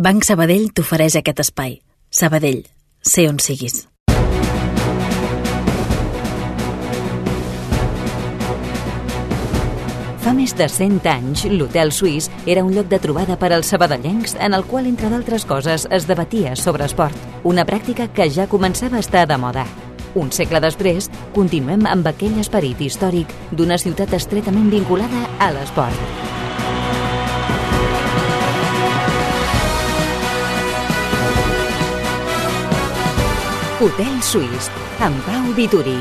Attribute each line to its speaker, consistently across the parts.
Speaker 1: Banc Sabadell t'ofereix aquest espai. Sabadell, sé on siguis.
Speaker 2: Fa més de 100 anys, l'Hotel Suís era un lloc de trobada per als sabadellencs en el qual, entre d'altres coses, es debatia sobre esport. Una pràctica que ja començava a estar de moda. Un segle després, continuem amb aquell esperit històric d'una ciutat estretament vinculada a l'esport. Hotel Suís, amb Pau Vituri.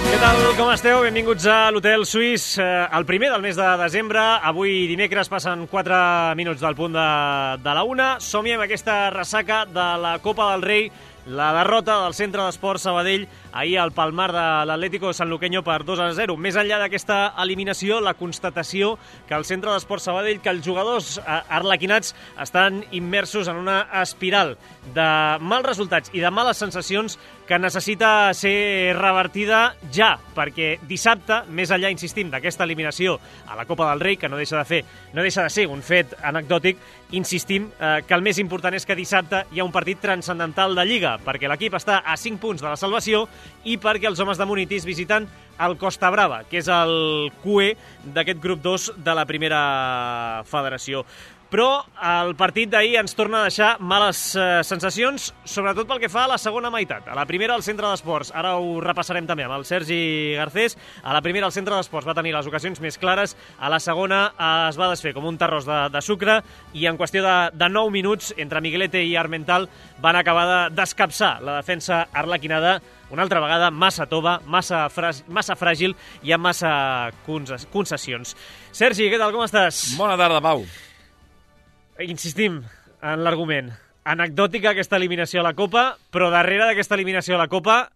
Speaker 3: Què tal, com esteu? Benvinguts a l'Hotel Suís, el primer del mes de desembre. Avui dimecres passen 4 minuts del punt de la 1. Som-hi amb aquesta ressaca de la Copa del Rei, la derrota del Centre d'Esports Sabadell ahir al Palmar de l'Atlético Sanluqueño per 2-0. Més enllà d'aquesta eliminació, la constatació que el Centre d'Esports Sabadell, que els jugadors arlequinats estan immersos en una espiral de mals resultats i de males sensacions que necessita ser revertida ja, perquè dissabte, més enllà, insistim, d'aquesta eliminació a la Copa del Rei, que no deixa de ser un fet anecdòtic, insistim que el més important és que dissabte hi ha un partit transcendental de Lliga, perquè l'equip està a 5 punts de la salvació i perquè els homes de Munitis visiten el Costa Brava, que és el QE d'aquest grup 2 de la primera federació. Però el partit d'ahir ens torna a deixar males sensacions, sobretot pel que fa a la segona meitat. A la primera, el Centre d'Esports, ara ho repassarem també amb el Sergi Garcés, a la primera el Centre d'Esports va tenir les ocasions més clares, a la segona es va desfer com un terròs de sucre i en qüestió de 9 minuts, entre Miguelete i Armental, van acabar d'escapçar la defensa arlequinada, una altra vegada massa tova, massa fràgil i amb massa concessions. Sergi, què tal, com estàs?
Speaker 4: Bona tarda, Pau.
Speaker 3: Insistim en l'argument. Anecdòtica aquesta eliminació a la Copa, però darrere d'aquesta eliminació a la Copa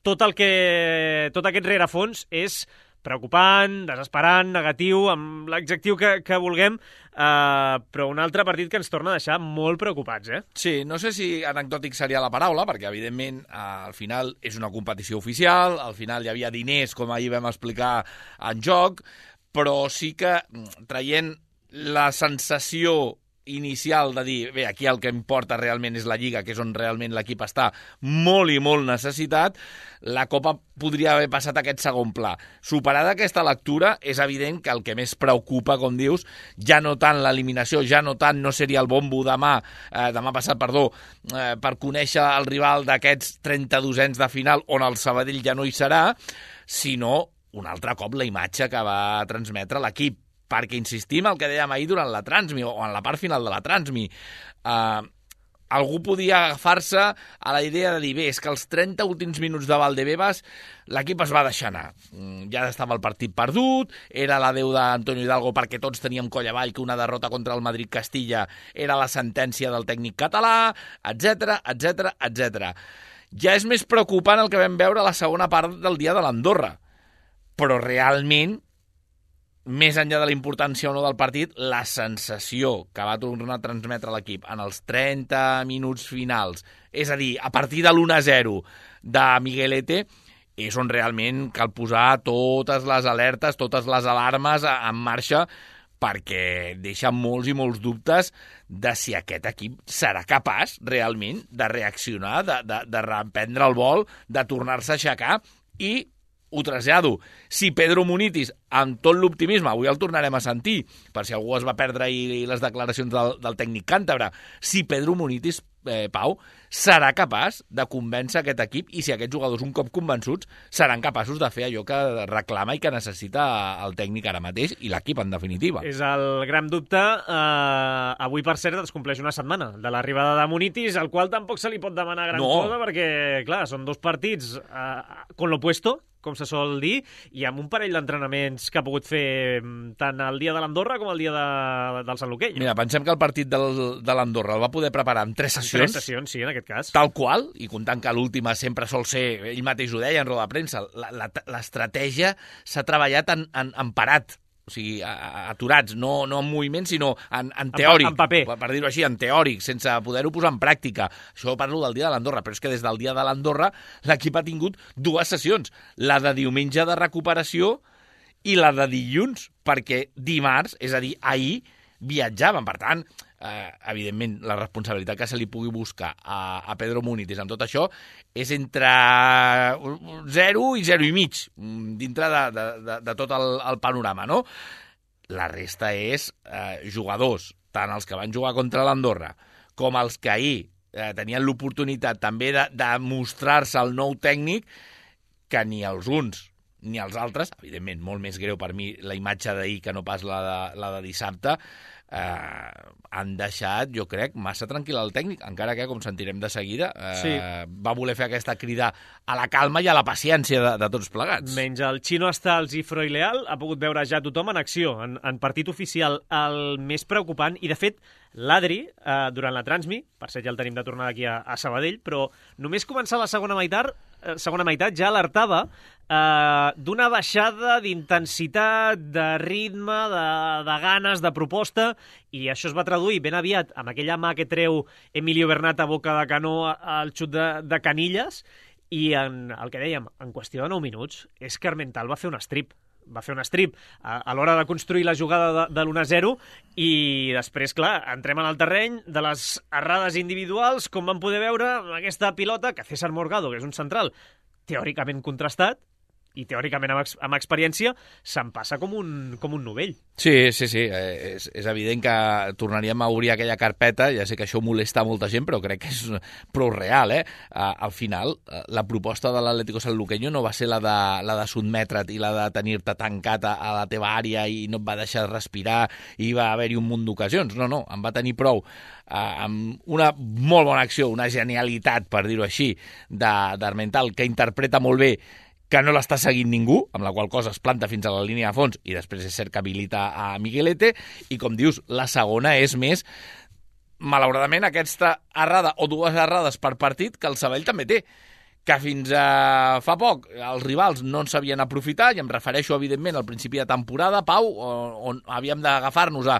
Speaker 3: tot aquest rerefons és preocupant, desesperant, negatiu, amb l'adjectiu que vulguem, però un altre partit que ens torna a deixar molt preocupats, eh?
Speaker 4: Sí, no sé si anecdòtic seria la paraula, perquè evidentment al final és una competició oficial, al final hi havia diners, com ahir vam explicar, en joc, però sí que traient la sensació inicial de dir, bé, aquí el que importa realment és la Lliga, que és on realment l'equip està molt i molt necessitat, la Copa podria haver passat a aquest segon pla. Superada aquesta lectura, és evident que el que més preocupa, com dius, ja no tant l'eliminació, ja no tant no seria el bombo demà passat, per conèixer el rival d'aquests 32ens de final, on el Sabadell ja no hi serà, sinó un altre cop la imatge que va transmetre l'equip. Perquè insistim el que dèiem ahir durant la Transmi, o en la part final de la Transmi. Algú podia agafar-se a la idea de dir, bé, és que els 30 últims minuts de Valdebebas l'equip es va deixar anar. Ja estava el partit perdut, era l'adeu d'Antonio Hidalgo perquè tots teníem coll avall que una derrota contra el Madrid-Castilla era la sentència del tècnic català, etc, etc, etc. Ja és més preocupant el que vam veure a la segona part del dia de l'Andorra. Però realment, més enllà de la importància o no del partit, la sensació que va tornar a transmetre l'equip en els 30 minuts finals, és a dir, a partir de l'1-0 de Miguelete, és on realment cal posar totes les alertes, totes les alarmes en marxa, perquè deixa molts i molts dubtes de si aquest equip serà capaç realment de reaccionar, de reprendre el vol, de tornar-se a aixecar i ho trasllado. Si Pedro Munitis, amb tot l'optimisme, avui el tornarem a sentir, per si algú es va perdre ahir les declaracions del tècnic càntabre, si Pedro Munitis, Pau, serà capaç de convèncer aquest equip i si aquests jugadors, un cop convençuts, seran capaços de fer allò que reclama i que necessita el tècnic ara mateix i l'equip, en definitiva.
Speaker 3: És el gran dubte. Avui, per cert, es compleix una setmana de l'arribada de Munitis, al qual tampoc se li pot demanar gran cosa, perquè, clar, són 2 partits con lo puesto, com se sol dir, i amb un parell d'entrenaments que ha pogut fer tant el dia de l'Andorra com el dia del Sanluqueño.
Speaker 4: Mira, pensem que el partit de l'Andorra el va poder preparar en 3 sessions.
Speaker 3: 3 sessions, sí, en aquest cas.
Speaker 4: Tal qual, i comptant que l'última sempre sol ser, ell mateix ho deia en roda de premsa, l'estratègia s'ha treballat en parat. o sigui, aturats, no en moviment, sinó en teòric,
Speaker 3: en paper.
Speaker 4: Per dir-ho així, en teòric, sense poder-ho posar en pràctica. Això parlo del dia de l'Andorra, però és que des del dia de l'Andorra l'equip ha tingut 2 sessions, la de diumenge de recuperació i la de dilluns, perquè dimarts, és a dir, ahir, viatjaven. Per tant, evidentment, la responsabilitat que se li pugui buscar a Pedro Munitis amb tot això és entre 0 i 0,5 dintre de tot el panorama, no? La resta és jugadors, tant els que van jugar contra l'Andorra com els que ahir tenien l'oportunitat també de mostrar-se el nou tècnic, que ni els uns ni els altres, evidentment, molt més greu per mi la imatge d'ahir que no pas la de dissabte, han deixat, jo crec, massa tranquil el tècnic, encara que, com sentirem de seguida, va voler fer aquesta crida a la calma i a la paciència de tots plegats.
Speaker 3: Menys el Chino Astals i Freud Leal ha pogut veure ja tothom en acció, en partit oficial. El més preocupant, i de fet, l'Adri, durant la Transmi, per cert ja el tenim de tornada aquí a Sabadell, però només començar la segona meitat ja alertava d'una baixada d'intensitat, de ritme, de ganes, de proposta, i això es va traduir ben aviat amb aquella mà que treu Emilio Bernat a boca de canó al xut de Canillas, i el que dèiem, en qüestió de 9 minuts, és que Armental va fer un strip a l'hora de construir la jugada de l'1-0, i després, clar, entrem en el terreny de les errades individuals, com vam poder veure amb aquesta pilota que César Morgado, que és un central teòricament contrastat, i teòricament amb experiència, se'n passa com un novell.
Speaker 4: Sí, és evident que tornaríem a obrir aquella carpeta, ja sé que això molesta molta gent, però crec que és prou real, al final, la proposta de l'Atlético Sanluqueño no va ser la de sotmetre't i la de tenir-te tancat a la teva àrea i no et va deixar respirar i va haver-hi un munt d'ocasions. No, em va tenir prou amb una molt bona acció, una genialitat, per dir-ho així, d'Armental, que interpreta molt bé que no l'està seguint ningú, amb la qual cosa es planta fins a la línia de fons i després és cert que habilita a Miguelete, i com dius, la segona és més, malauradament, aquesta errada o 2 errades per partit que el Sabadell també té, que fins a fa poc els rivals no en sabien aprofitar, i em refereixo, evidentment, al principi de temporada, Pau, on havíem d'agafar-nos a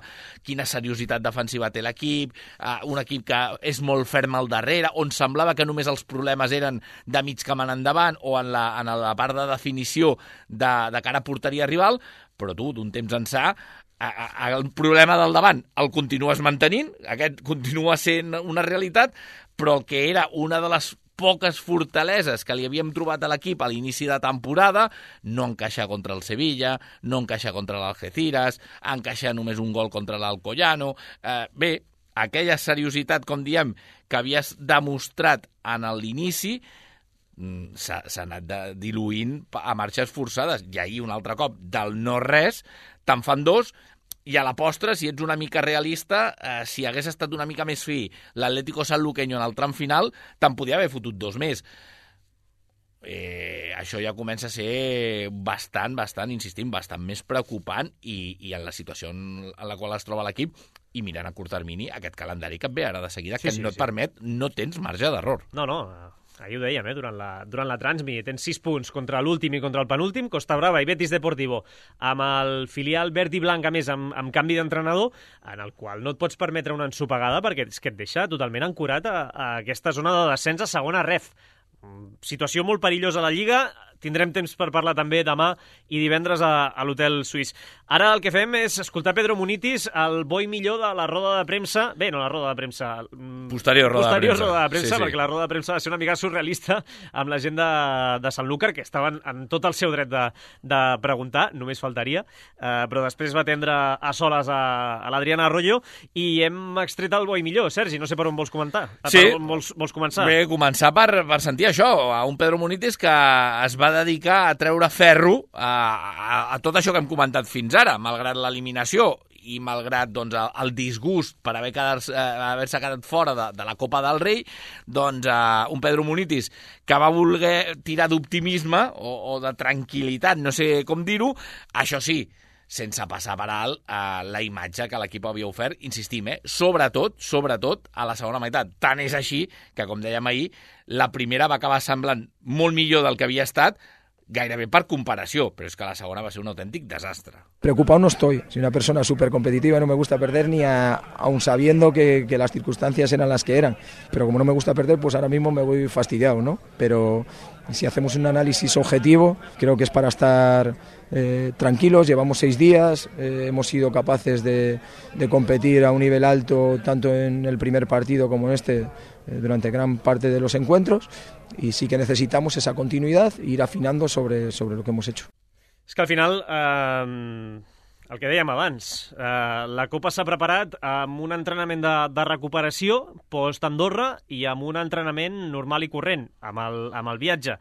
Speaker 4: quina seriositat defensiva té l'equip, un equip que és molt ferm al darrere, on semblava que només els problemes eren de mig camp en endavant o en la part de definició de cara a porteria rival, però tu, d'un temps ençà, el problema del davant el continues mantenint, aquest continua sent una realitat, però el que era una de les poques fortaleses que li havíem trobat a l'equip a l'inici de temporada, no encaixa contra el Sevilla, no encaixa contra l'Algeciras, encaixa només un gol contra l'Alcoyano. Bé, aquella seriositat, com diem, que havies demostrat en l'inici, s'ha anat diluint a marxes forçades. I ahir, un altre cop, del no-res, te'n fan 2, i a la postre, si ets una mica realista, si hagués estat una mica més fi l'Atlético Sanluqueño en el tram final, te'n podia haver fotut 2 més. Això ja comença a ser bastant, insistim, bastant més preocupant, i en la situació en la qual es troba l'equip, i mirant a curt termini aquest calendari que et ve ara de seguida, que no et permet, no tens marge d'error.
Speaker 3: No, ahir ho dèiem, durant la Transmi, tens 6 punts contra l'últim i contra el penúltim, Costa Brava i Betis Deportivo, amb el filial verd i blanc, a més, amb canvi d'entrenador, en el qual no et pots permetre una ensopegada, perquè és que et deixa totalment ancorat a aquesta zona de descens a segona ref. Situació molt perillosa a la Lliga. Tindrem temps per parlar també demà i divendres a l'Hotel Suís. Ara el que fem és escoltar Pedro Munitis, el bo i millor de la roda de premsa. Bé, no la roda de premsa.
Speaker 4: Posterior roda de
Speaker 3: premsa, perquè la roda de premsa va ser una mica surrealista amb la gent de Sanlúcar, que estaven en tot el seu dret de preguntar, només faltaria, però després va atendre a soles a l'Adriana Arroyo i hem extret el bo i millor. Sergi, no sé per on vols comentar.
Speaker 4: Sí.
Speaker 3: Per on vols començar?
Speaker 4: Bé, començar per sentir això, a un Pedro Munitis que es va dedicar a treure ferro a tot això que hem comentat fins ara, malgrat l'eliminació i malgrat el disgust per haver-se quedat fora de la Copa del Rei, un Pedro Munitis que va voler tirar d'optimisme o de tranquil·litat, no sé com dir-ho, això sí, sense passar per alt la imatge que l'equip havia ofert, insistim, sobretot a la segona meitat. Tant és així que, com dèiem ahir, la primera va acabar semblant molt millor del que havia estat, gairebé per comparació, però és que la segona va ser un autèntic desastre.
Speaker 5: Preocupado no estoy, soy una persona súper competitiva, no me gusta perder ni aun sabiendo que las circunstancias eran las que eran, pero como no me gusta perder, pues ahora mismo me voy fastidiado, ¿no? Pero si hacemos un análisis objetivo, creo que es para estar tranquilos, llevamos 6 días, hemos sido capaces de competir a un nivel alto tanto en el primer partido como en este durante gran parte de los encuentros y sí que necesitamos esa continuidad e ir afinando sobre lo que hemos hecho.
Speaker 3: És que al final, el que dèiem abans, la Copa s'ha preparat amb un entrenament de recuperació post-Andorra i amb un entrenament normal i corrent, amb el viatge.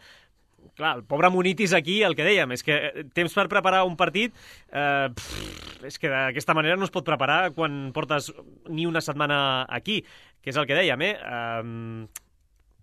Speaker 3: Clar, el pobre Munitis aquí, el que dèiem, és que temps per preparar un partit, és que d'aquesta manera no es pot preparar quan portes ni una setmana aquí, que és el que dèiem,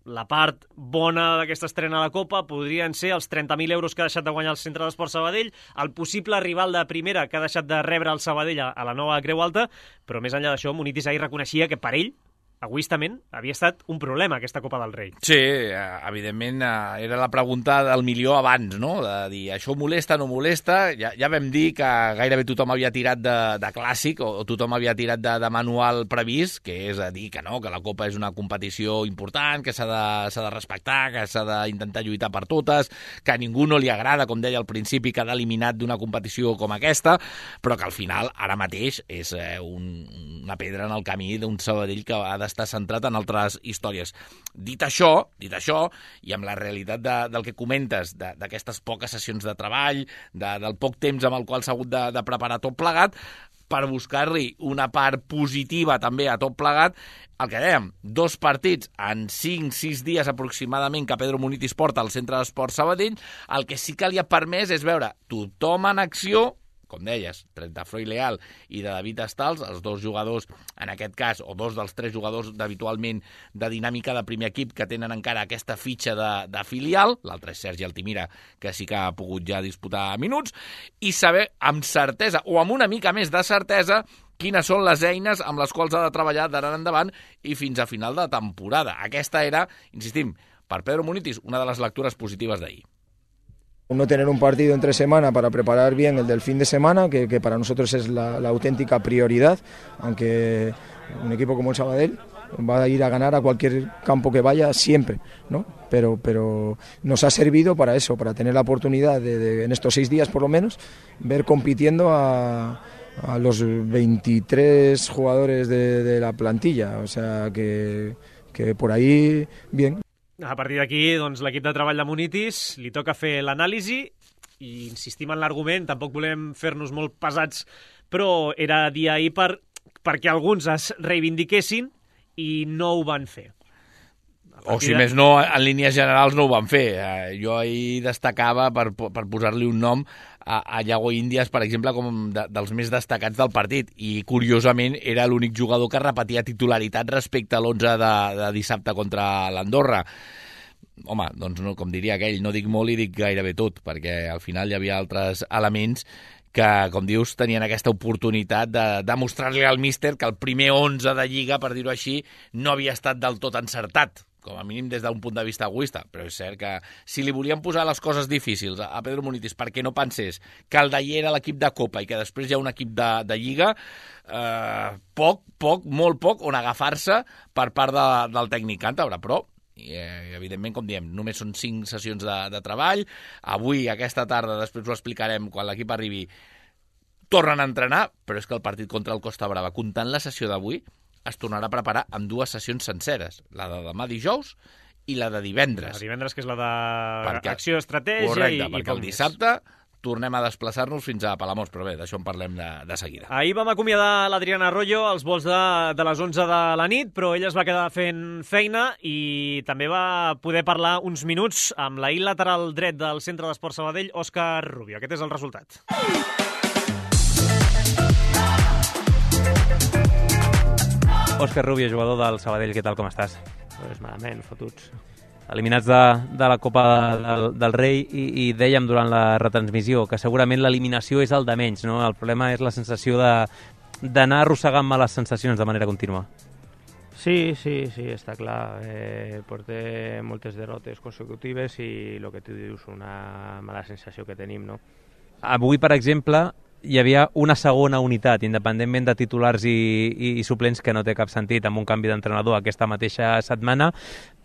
Speaker 3: La part bona d'aquesta estrena a la Copa podrien ser els 30.000 euros que ha deixat de guanyar el Centre d'Esport Sabadell, el possible rival de primera que ha deixat de rebre el Sabadell a la nova Creu Alta, però més enllà d'això, Munitis ahir reconeixia que per ell, egoistament, havia estat un problema aquesta Copa del Rei.
Speaker 4: Sí, evidentment era la pregunta del milió abans, no? De dir, això molesta, no molesta? Ja vam dir que gairebé tothom havia tirat de clàssic o tothom havia tirat de manual previst, que és a dir que no, que la Copa és una competició important, que s'ha de respectar, que s'ha d'intentar lluitar per totes, que a ningú no li agrada, com deia al principi, quedar eliminat d'una competició com aquesta, però que al final, ara mateix, és una pedra en el camí d'un Sabadell que ha d'estar centrat en altres històries. Dit això, i amb la realitat del que comentes, d'aquestes poques sessions de treball, del poc temps amb el qual s'ha hagut de preparar tot plegat, per buscar-li una part positiva també a tot plegat, el que dèiem, 2 partits en 5-6 dies aproximadament que Pedro Munitis porta al Centre d'Esport Sabadell, el que sí que li ha permès és veure tothom en acció, com deies, Trentafró i Leal i de David Estals, els 2 jugadors, en aquest cas, o 2 dels 3 jugadors habitualment de dinàmica de primer equip que tenen encara aquesta fitxa de filial, l'altre és Sergi Altimira, que sí que ha pogut ja disputar minuts, i saber amb certesa, o amb una mica més de certesa, quines són les eines amb les quals ha de treballar d'ara en endavant i fins a final de temporada. Aquesta era, insistim, per Pedro Munitis, una de les lectures positives d'ahir.
Speaker 5: No tener un partido entre semana para preparar bien el del fin de semana, que para nosotros es la auténtica prioridad, aunque un equipo como el Sabadell va a ir a ganar a cualquier campo que vaya siempre, ¿no? Pero nos ha servido para eso, para tener la oportunidad de en estos 6 días por lo menos, ver compitiendo a los 23 jugadores de la plantilla, o sea que por ahí bien.
Speaker 3: A partir d'aquí, doncs, l'equip de treball de Munitis li toca fer l'anàlisi i insistim en l'argument, tampoc volem fer-nos molt pesats, però era dia ahir perquè alguns es reivindiquessin i no ho van fer.
Speaker 4: O si més no, en línies generals no ho van fer. Jo ahir destacava, per posar-li un nom, a Iago Índias, per exemple, com dels més destacats del partit, i curiosament era l'únic jugador que repetia titularitat respecte a l'11 de dissabte contra l'Andorra. Home, doncs no, com diria aquell, no dic molt i dic gairebé tot, perquè al final hi havia altres elements que, com dius, tenien aquesta oportunitat de demostrar-li al míster que el primer 11 de Lliga, per dir-ho així, no havia estat del tot encertat, com a mínim des d'un punt de vista egoista, però és cert que si li volien posar les coses difícils a Pedro Munitis perquè no pensés que el d'ahir era l'equip de Copa i que després hi ha un equip de Lliga, molt poc on agafar-se per part del tècnic càntabre, però evidentment, com diem, només són 5 sessions de treball. Avui, aquesta tarda, després ho explicarem quan l'equip arribi, tornen a entrenar, però és que el partit contra el Costa Brava, comptant la sessió d'avui, es tornarà a preparar amb 2 sessions senceres, la de demà dijous i la de divendres.
Speaker 3: La de divendres, que és la d'acció, estratègia.
Speaker 4: Correcte, perquè el dissabte tornem a desplaçar-nos fins a Palamós, però bé, d'això en parlem de seguida.
Speaker 3: Ahir vam acomiadar l'Adriana Arroyo als vols de les 11 de la nit, però ella es va quedar fent feina i també va poder parlar uns minuts amb l'ahir lateral dret del Centre d'Esport Sabadell, Òscar Rubio. Aquest és el resultat.
Speaker 6: Òscar Rubio, jugador del Sabadell, què tal, com estàs?
Speaker 7: Pues malament, fotuts.
Speaker 6: Eliminats de la Copa del Rei i dèiem durant la retransmissió que segurament l'eliminació és el de menys, no? El problema és la sensació d'anar arrossegant males sensacions de manera contínua.
Speaker 7: Sí, està clar. Portem moltes derrotes consecutives i el que tu dius, una mala sensació que tenim, no?
Speaker 6: Avui, per exemple, hi havia una segona unitat, independentment de titulars i suplents, que no té cap sentit amb un canvi d'entrenador aquesta mateixa setmana,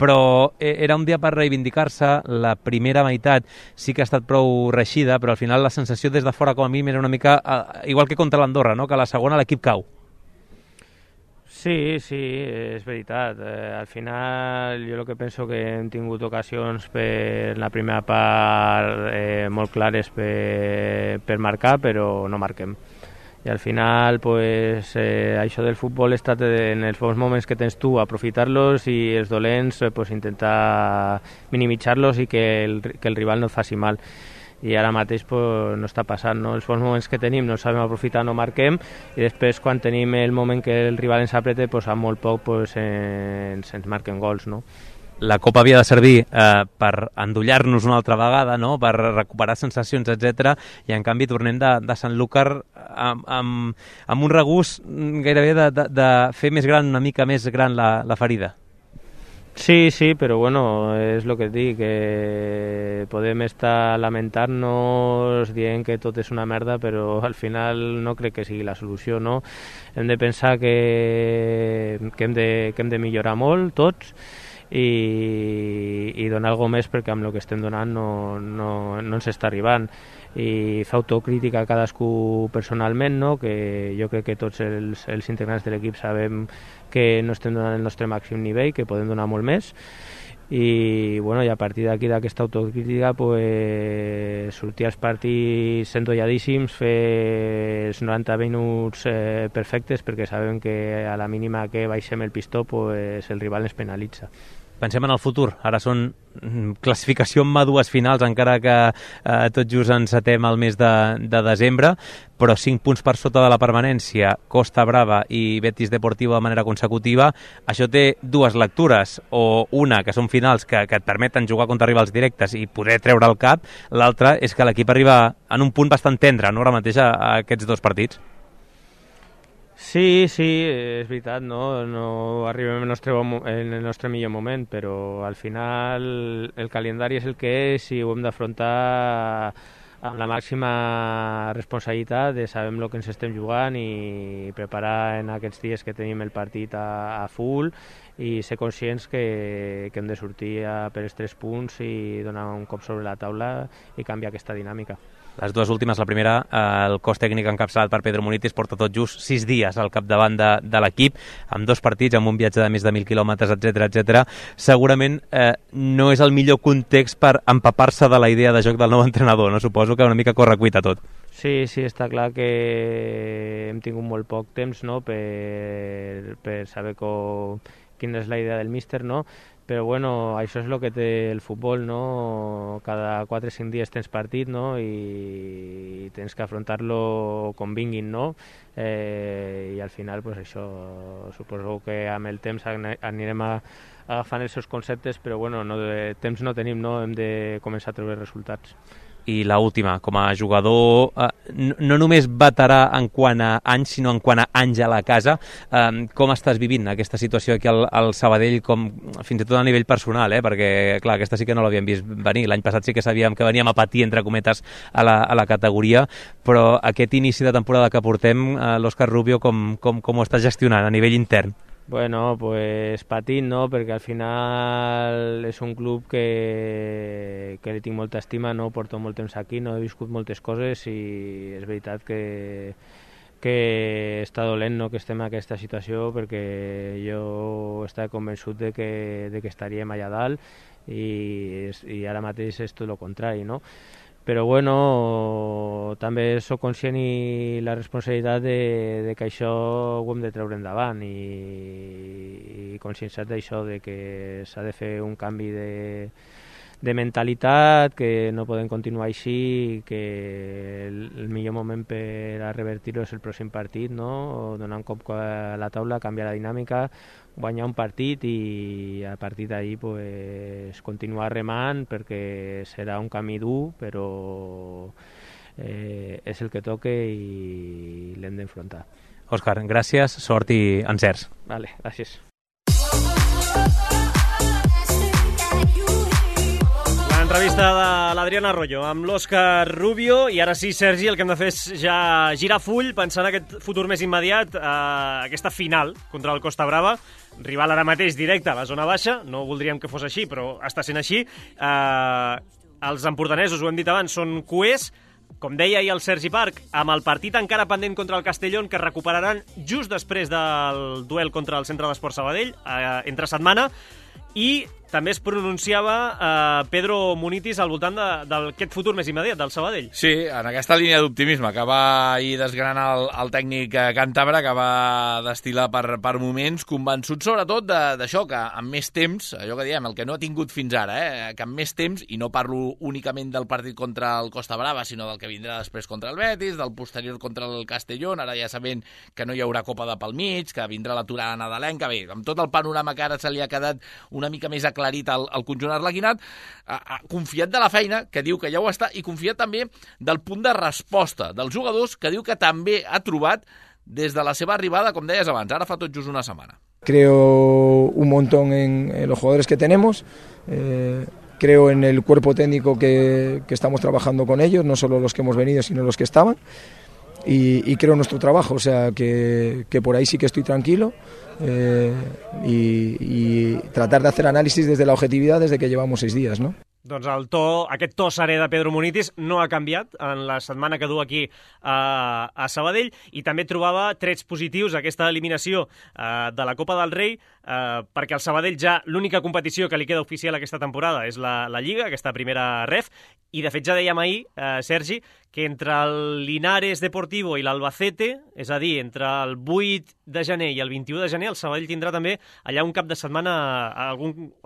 Speaker 6: però era un dia per reivindicar-se. La primera meitat sí que ha estat prou reixida, però al final la sensació des de fora com a mínim era una mica igual que contra l'Andorra, no? Que a la segona l'equip cau.
Speaker 7: Sí, és veritat. Al final jo el que penso que hem tingut ocasions per la primera part molt clares per marcar, però no marquem. I al final pues, això del futbol es tracta en els bons moments que tens tu aprofitar-los i els dolents pues, intentar minimitzar-los i que el rival no et faci mal. I ara mateix pues, no està passant, no? Els bons moments que tenim no sabem aprofitar, no marquem, i després quan tenim el moment que el rival ens apreta, pues, amb molt poc pues, ens marquen gols, no?
Speaker 6: La Copa havia de servir per endollar-nos una altra vegada, no? Per recuperar sensacions, etc. I en canvi tornem de Sanlúcar amb un regust gairebé de fer més gran, una mica més gran la ferida.
Speaker 7: Sí, però bueno, és el que et dic, que podem estar lamentant-nos dient que tot és una merda, però al final no crec que sigui la solució, no? Hem de pensar que hem de millorar molt tots i donar alguna més, perquè amb el que estem donant no ens està arribant, i fer autocrítica a cadascú personalment, no? Que jo crec que tots els integrants de l'equip sabem que no estem donant el nostre màxim nivell, que podem donar molt més, i bueno, i a partir d'aquí, d'aquesta autocrítica, pues, sortir als partits endolladíssims, fer els 90 minuts perfectes, perquè sabem que a la mínima que baixem el pistó, pues, el rival ens penalitza.
Speaker 6: Pensem en el futur. Ara són classificació amb dues finals, encara que tot just encetem el mes de desembre, però 5 punts per sota de la permanència, Costa Brava i Betis Deportivo de manera consecutiva. Això té dues lectures, o una, que són finals que et permeten jugar contra rivals directes i poder treure el cap, l'altra és que l'equip arriba en un punt bastant tendre, no?, ara mateix a aquests dos partits.
Speaker 7: Sí, és veritat, no arribem en el nostre millor moment, però al final el calendari és el que és i ho hem d'afrontar amb la màxima responsabilitat de saber el que ens estem jugant i preparar en aquests dies que tenim el partit a full i ser conscients que hem de sortir per els 3 punts i donar un cop sobre la taula i canviar aquesta dinàmica.
Speaker 6: Les dues últimes, la primera, el cos tècnic encapçalat per Pedro Munitis porta tot just 6 dies al capdavant de l'equip, amb 2 partits, amb un viatge de més de 1.000 quilòmetres, etc. Segurament no és el millor context per empapar-se de la idea de joc del nou entrenador, no? Suposo que una mica corre cuita tot.
Speaker 7: Sí, està clar que hem tingut molt poc temps, no?, per saber quina és la idea del míster, no? Però bueno, això és el que té el futbol, no? Cada 4 o 5 dies tens partit, no? I tens que afrontar-lo com vinguin, no? I al final, pues això, suposo que amb el temps anirem agafant els seus conceptes, però bueno, temps no tenim, no? Hem de començar a treure resultats.
Speaker 6: I l'última, com a jugador no només veterà en quant a anys, sinó en quant a anys a la casa, com estàs vivint aquesta situació aquí al Sabadell, fins i tot a nivell personal, perquè clar, aquesta sí que no l'havíem vist venir, l'any passat sí que sabíem que veníem a patir, entre cometes, a la categoria, però aquest inici de temporada que portem, l'Òscar Rubio, com ho estàs gestionant a nivell intern?
Speaker 7: Bueno, pues patint, no?, perquè al final és un club que li tinc molta estima, no?, porto molt temps aquí, no he viscut moltes coses i és veritat que està dolent, no?, que estem en aquesta situació, perquè jo estava convençut de que estaríem allà dalt i ara mateix és tot el contrari, no? Però bueno, també soc conscient i la responsabilitat de que això ho hem de treure endavant i conscienciat d'això, de que s'ha de fer un canvi de mentalitat, que no podem continuar així, que el millor moment per a revertir-ho és el pròxim partit, no? Donar un cop a la taula, canviar la dinàmica, guanyar un partit i a partir d'ahir pues, continuar remant, perquè serà un camí dur, però és el que toca i l'hem d'enfrontar.
Speaker 6: Òscar, gràcies, sort i encerts.
Speaker 7: Vale, gràcies.
Speaker 3: L'entrevista de l'Adrián Arroyo amb l'Òscar Rubio. I ara sí, Sergi, el que hem de fer és ja girar full, pensant en aquest futur més immediat, aquesta final contra el Costa Brava, rival ara mateix directe a la zona baixa. No voldríem que fos així, però està sent així. Els empordanesos, ho hem dit abans, són cuers. Com deia ahir el Sergi Parc, amb el partit encara pendent contra el Castellón, que recuperaran just després del duel contra el Centre d'Esport Sabadell, entre setmana, i també es pronunciava Pedro Munitis al voltant d'aquest futur més immediat, del Sabadell.
Speaker 4: Sí, en aquesta línia d'optimisme que va ahir desgranar el tècnic càntabre, que va destil·lar per moments, convençut sobretot d'això, que amb més temps, allò que diem, el que no ha tingut fins ara, que amb més temps, i no parlo únicament del partit contra el Costa Brava, sinó del que vindrà després contra el Betis, del posterior contra el Castellón, ara ja sabent que no hi haurà Copa de pel mig, que vindrà l'aturada nadalenca, bé, amb tot el panorama que ara se li ha quedat una mica més aclarit al conjunt arlequinat, confiat de la feina, que diu que ja ho està, i confiat també del punt de resposta dels jugadors, que diu que també ha trobat des de la seva arribada, com deies abans, ara fa tot just una setmana.
Speaker 5: Creo un montón en los jugadores que tenemos, creo en el cuerpo técnico que estamos trabajando con ellos, no solo los que hemos venido, sino los que estaban. Y creo en nuestro trabajo, o sea que por ahí sí que estoy tranquilo, y tratar de hacer análisis desde la objetividad desde que llevamos 6 días, ¿no?
Speaker 3: Doncs aquest to serè de Pedro Munitis no ha canviat en la setmana que du aquí a Sabadell, i també trobava trets positius aquesta eliminació de la Copa del Rei, perquè el Sabadell ja l'única competició que li queda oficial aquesta temporada és la Lliga, aquesta primera ref, i de fet ja dèiem ahir, Sergi, que entre el Linares Deportivo i l'Albacete, és a dir, entre el 8 de gener i el 21 de gener, el Sabadell tindrà també allà un cap de setmana,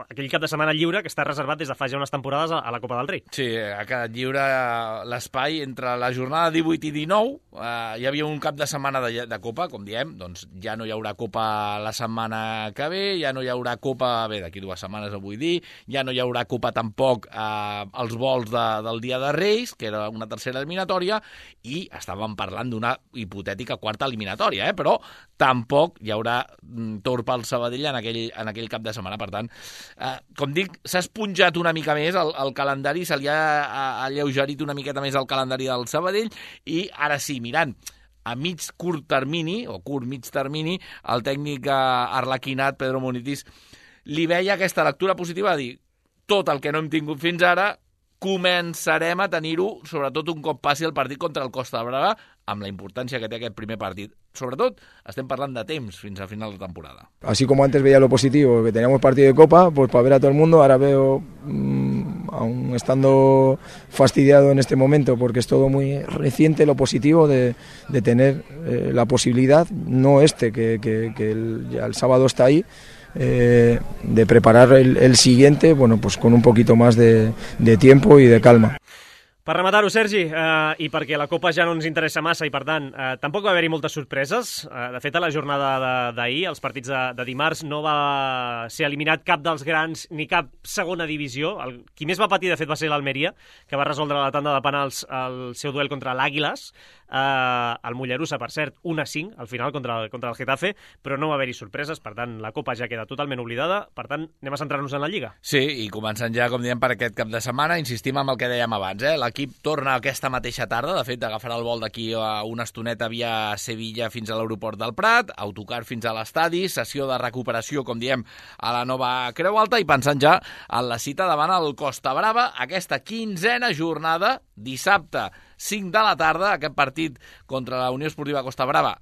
Speaker 3: aquell cap de setmana lliure que està reservat des de fa ja unes temporades a la Copa del Rei.
Speaker 4: Sí, ha quedat lliure l'espai entre la jornada 18 i 19, hi havia un cap de setmana de Copa, com diem, doncs ja no hi haurà Copa la setmana que ve, ja no hi haurà Copa, bé, d'aquí 2 setmanes ho vull dir, ja no hi haurà Copa tampoc als vols del dia de Reis, que era una tercera eliminatòria, i estàvem parlant d'una hipotètica quarta eliminatòria, però tampoc hi haurà torn pel Sabadell en aquell cap de setmana. Per tant, com dic, s'ha esponjat una mica més el calendari, se li ha alleugerit una miqueta més el calendari del Sabadell, i ara sí, mirant a curt mig termini, el tècnic arlequinat, Pedro Munitis, li veia aquesta lectura positiva de dir tot el que no hem tingut fins ara començarem a tenir-ho, sobretot un cop passi el partit contra el Costa Brava, amb la importància que té aquest primer partit. Sobretot, estem parlant de temps fins a final de temporada.
Speaker 5: Así como antes veía lo positivo, que teníamos partido de Copa, pues para ver a todo el mundo, ahora veo, aún estando fastidiado en este momento, porque es todo muy reciente, lo positivo de tener la posibilidad, no que ya el sábado está ahí, de preparar el siguiente, bueno, pues con un poquito más de tiempo y de calma.
Speaker 3: Per rematar-ho, Sergi, i perquè la Copa ja no ens interessa massa i, per tant, tampoc va haver-hi moltes sorpreses. De fet, a la jornada d'ahir, els partits de dimarts, no va ser eliminat cap dels grans ni cap segona divisió. Qui més va patir, de fet, va ser l'Almeria, que va resoldre la tanda de penals al seu duel contra l'Àguiles. El Mollerussa, per cert, 1-5 al final contra el Getafe, però no va haver-hi sorpreses, per tant, la Copa ja queda totalment oblidada. Per tant, anem a centrar-nos en la Lliga.
Speaker 4: Sí, i començant ja, com diem, per aquest cap de setmana, insistim amb el que dèiem abans, l'equip torna aquesta mateixa tarda, de fet, agafarà el vol d'aquí a una estoneta via Sevilla fins a l'aeroport del Prat, autocar fins a l'estadi, sessió de recuperació, com diem, a la nova Creu Alta, i pensant ja en la cita davant el Costa Brava, aquesta 15a jornada, dissabte, 5 de la tarda, aquest partit contra la Unió Esportiva Costa Brava,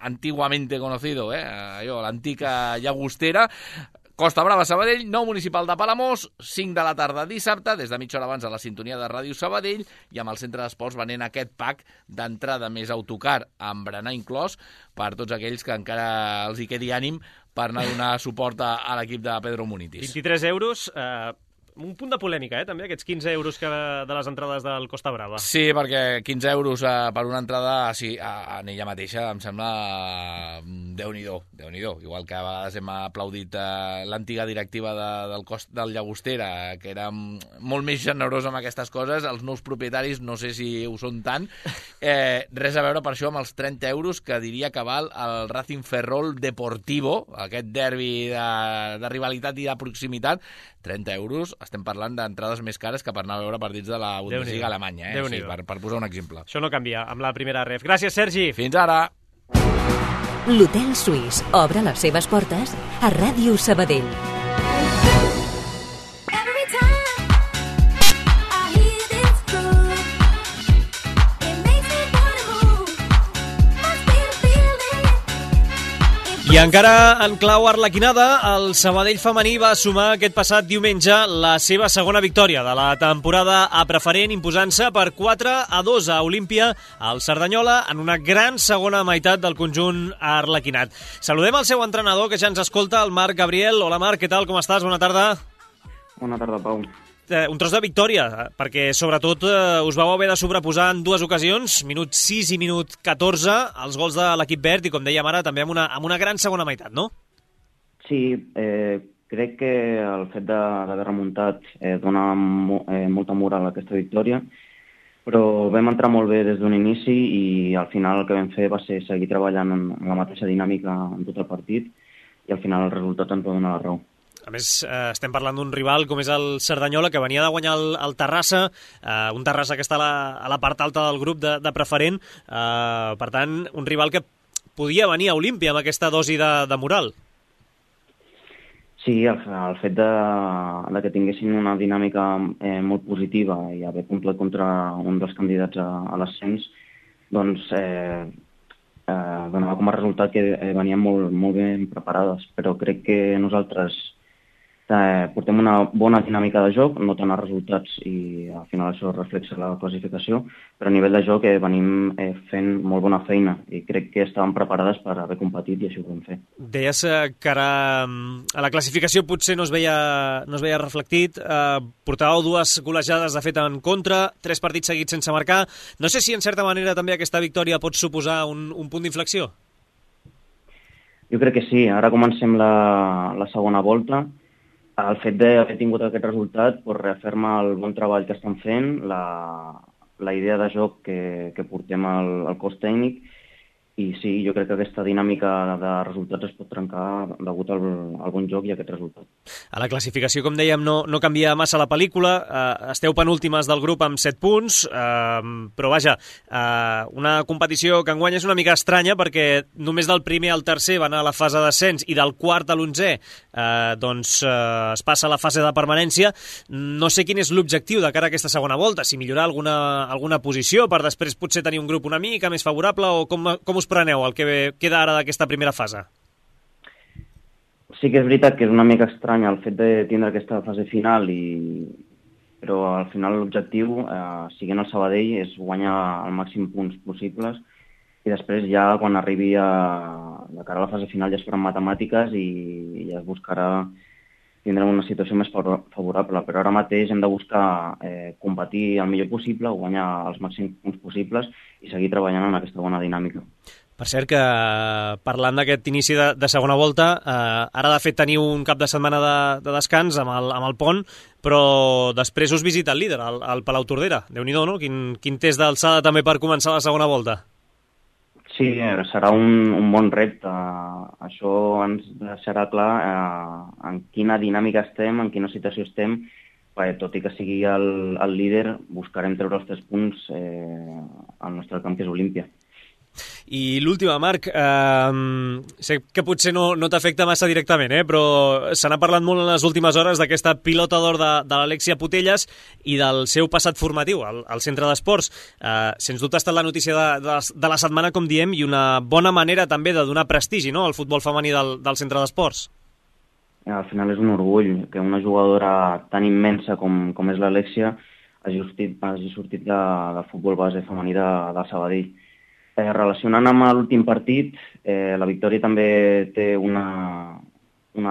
Speaker 4: antiguamente conocido, l'antica Llagostera. Costa Brava, Sabadell, nou municipal de Palamós, 5 de la tarda dissabte, des de mitja hora abans a la sintonia de Ràdio Sabadell, i amb el centre d'esports venent aquest pack d'entrada més autocar amb berenar inclòs per tots aquells que encara els hi quedi ànim per anar a donar suport a l'equip de Pedro Munitis.
Speaker 3: 23 euros, un punt de polèmica, també, aquests 15 euros de les entrades del Costa Brava.
Speaker 4: Sí, perquè 15 euros per una entrada, sí, en ella mateixa em sembla Déu-n'hi-do. Igual que a vegades hem aplaudit l'antiga directiva del Llagostera, que era molt més generosa amb aquestes coses, els nous propietaris no sé si ho són tant. Res a veure per això amb els 30 euros que diria que val el Racing Ferrol Deportivo, aquest derbi de rivalitat i de proximitat. 30 euros estem parlant d'entrades més cares que per anar a veure partits de la Bundesliga alemanya, sí, per posar un exemple.
Speaker 3: Això no canvia amb la primera ref. Gràcies, Sergi.
Speaker 4: Fins ara.
Speaker 2: L'Hotel Suís obre les seves portes a Ràdio Sabadell.
Speaker 3: I encara en clau arlequinada, el Sabadell femení va sumar aquest passat diumenge la seva segona victòria de la temporada a preferent, imposant-se per 4-2 a Olímpia al Cerdanyola en una gran segona meitat del conjunt arlequinat. Saludem el seu entrenador, que ja ens escolta, el Marc Gabriel. Hola, Marc, què tal? Com estàs? Bona tarda.
Speaker 8: Bona tarda, Pau.
Speaker 3: Un tros de victòria, perquè sobretot us vau haver de sobreposar en dues ocasions, minut 6 i minut 14, els gols de l'equip verd, i com dèiem ara, també amb una gran segona meitat, no?
Speaker 8: Sí, crec que el fet d'haver remuntat dona molta moral a aquesta victòria, però vam entrar molt bé des d'un inici i al final el que vam fer va ser seguir treballant en la mateixa dinàmica en tot el partit i al final el resultat ens va donar la raó.
Speaker 3: A més, estem parlant d'un rival com és el Cerdanyola, que venia de guanyar el Terrassa, un Terrassa que està a la part alta del grup de preferent. Per tant, un rival que podia venir a Olímpia amb aquesta dosi de moral.
Speaker 8: Sí, el fet que tinguessin una dinàmica molt positiva i haver complet contra un dels candidats a l'ascens, doncs donava com a resultat que venien molt ben preparades, però crec que nosaltres portem una bona dinàmica de joc, no tant els resultats i al final això reflexa la classificació, però a nivell de joc venim fent molt bona feina i crec que estàvem preparades per haver competit i així ho vam fer.
Speaker 3: Deies que ara a la classificació potser no es veia reflectit, portàveu dues golejades de fet en contra, 3 partits seguits sense marcar. No sé si en certa manera també aquesta victòria pot suposar un punt d'inflexió.
Speaker 8: Jo crec que sí, ara comencem la segona volta. El fet d'haver tingut aquest resultat reafirma el bon treball que estan fent, la idea de joc que portem al cos tècnic i sí, jo crec que aquesta dinàmica de resultats es pot trencar degut al bon joc i a aquest resultat.
Speaker 3: A la classificació, com dèiem, no canvia massa la pel·lícula, esteu penúltimes del grup amb 7 punts, però vaja, una competició que enguany és una mica estranya perquè només del primer al tercer va anar a la fase d'ascens i del quart a l'11è es passa a la fase de permanència. No sé quin és l'objectiu de cara a aquesta segona volta, si millorar alguna posició per després potser tenir un grup una mica més favorable o com us preneu el que queda ara d'aquesta primera fase?
Speaker 8: Sí que és veritat que és una mica estrany el fet de tindre aquesta fase final, però al final l'objectiu, siguent el Sabadell, és guanyar el màxim punts possibles i després ja quan arribi de cara a la fase final ja es faran matemàtiques i ja es buscarà tindrem una situació més favorable, però ara mateix hem de buscar competir el millor possible, guanyar els màxims punts possibles i seguir treballant en aquesta bona dinàmica.
Speaker 3: Per cert que, parlant d'aquest inici de segona volta, ara de fet teniu un cap de setmana de descans amb el pont, però després us visita el líder, el Palau Tordera. Déu-n'hi-do, no? Quin test d'alçada també per començar la segona volta.
Speaker 8: Sí, serà un bon repte. Això ens deixarà clar en quina dinàmica estem, en quina situació estem, perquè tot i que sigui el líder, buscarem treure els 3 punts al nostre camp, que és Olímpia.
Speaker 3: I l'última, Marc, sé que potser no t'afecta massa directament, però se n'ha parlat molt en les últimes hores d'aquesta pilota d'or de l'Alexia Putellas i del seu passat formatiu al centre d'esports. Sens dubte ha estat la notícia de la setmana, com diem, i una bona manera també de donar prestigi, no?, al futbol femení del centre d'esports.
Speaker 8: Al final és un orgull que una jugadora tan immensa com és l'Alexia hagi sortit del futbol base femení de Sabadell. Relacionant amb l'últim partit, la victòria també té un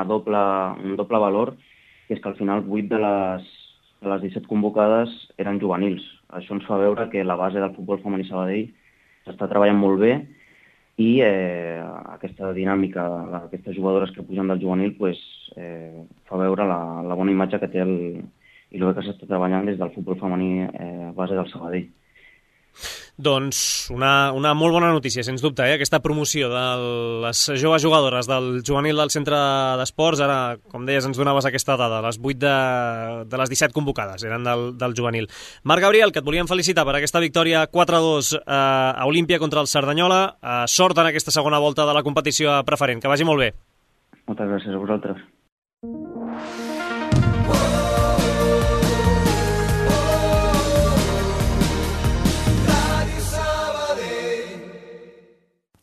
Speaker 8: doble valor, que és que al final 8 de les 17 convocades eren juvenils. Això ens fa veure que la base del futbol femení Sabadell s'està treballant molt bé i aquesta dinàmica d'aquestes jugadores que pugen del juvenil fa veure la bona imatge que té i el que s'està treballant des del futbol femení base del Sabadell.
Speaker 3: Doncs una molt bona notícia, sens dubte, aquesta promoció de les joves jugadores del juvenil del centre d'esports. Ara, com deies, ens donaves aquesta dada, les 8 de les 17 convocades eren del juvenil. Marc Gabriel, que et volíem felicitar per aquesta victòria 4-2 a Olímpia contra el Cerdanyola. Sort en aquesta segona volta de la competició preferent. Que vagi molt bé.
Speaker 8: Moltes gràcies a vosaltres.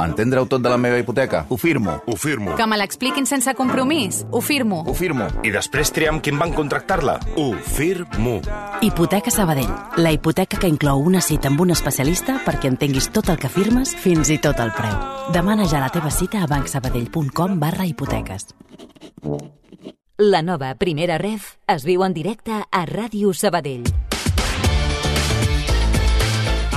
Speaker 9: Entendre-ho tot de la meva hipoteca? Ho firmo.
Speaker 10: Ho firmo.
Speaker 11: Que me l'expliquin sense compromís? Ho firmo.
Speaker 9: Ho firmo.
Speaker 10: I després triar amb qui em van contractar-la? Ho firmo.
Speaker 1: Hipoteca Sabadell, la hipoteca que inclou una cita amb un especialista perquè entenguis tot el que firmes, fins i tot el preu. Demana ja la teva cita a bancsabadell.com/hipoteques.
Speaker 2: La nova Primera Ref es viu en directe a Ràdio Sabadell.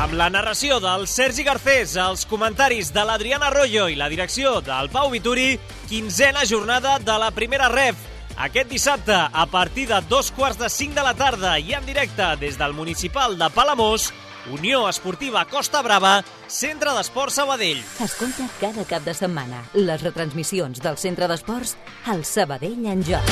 Speaker 3: Amb la narració del Sergi Garcés, els comentaris de l'Adriana Arroyo i la direcció del Pau Vituri, 15a jornada de la Primera Ref. Aquest dissabte, a partir de 2:45 de la tarda i en directe des del municipal de Palamós, Unió Esportiva Costa Brava, Centre d'Esports Sabadell.
Speaker 2: Escolta cada cap de setmana les retransmissions del Centre d'Esports al Sabadell en joc.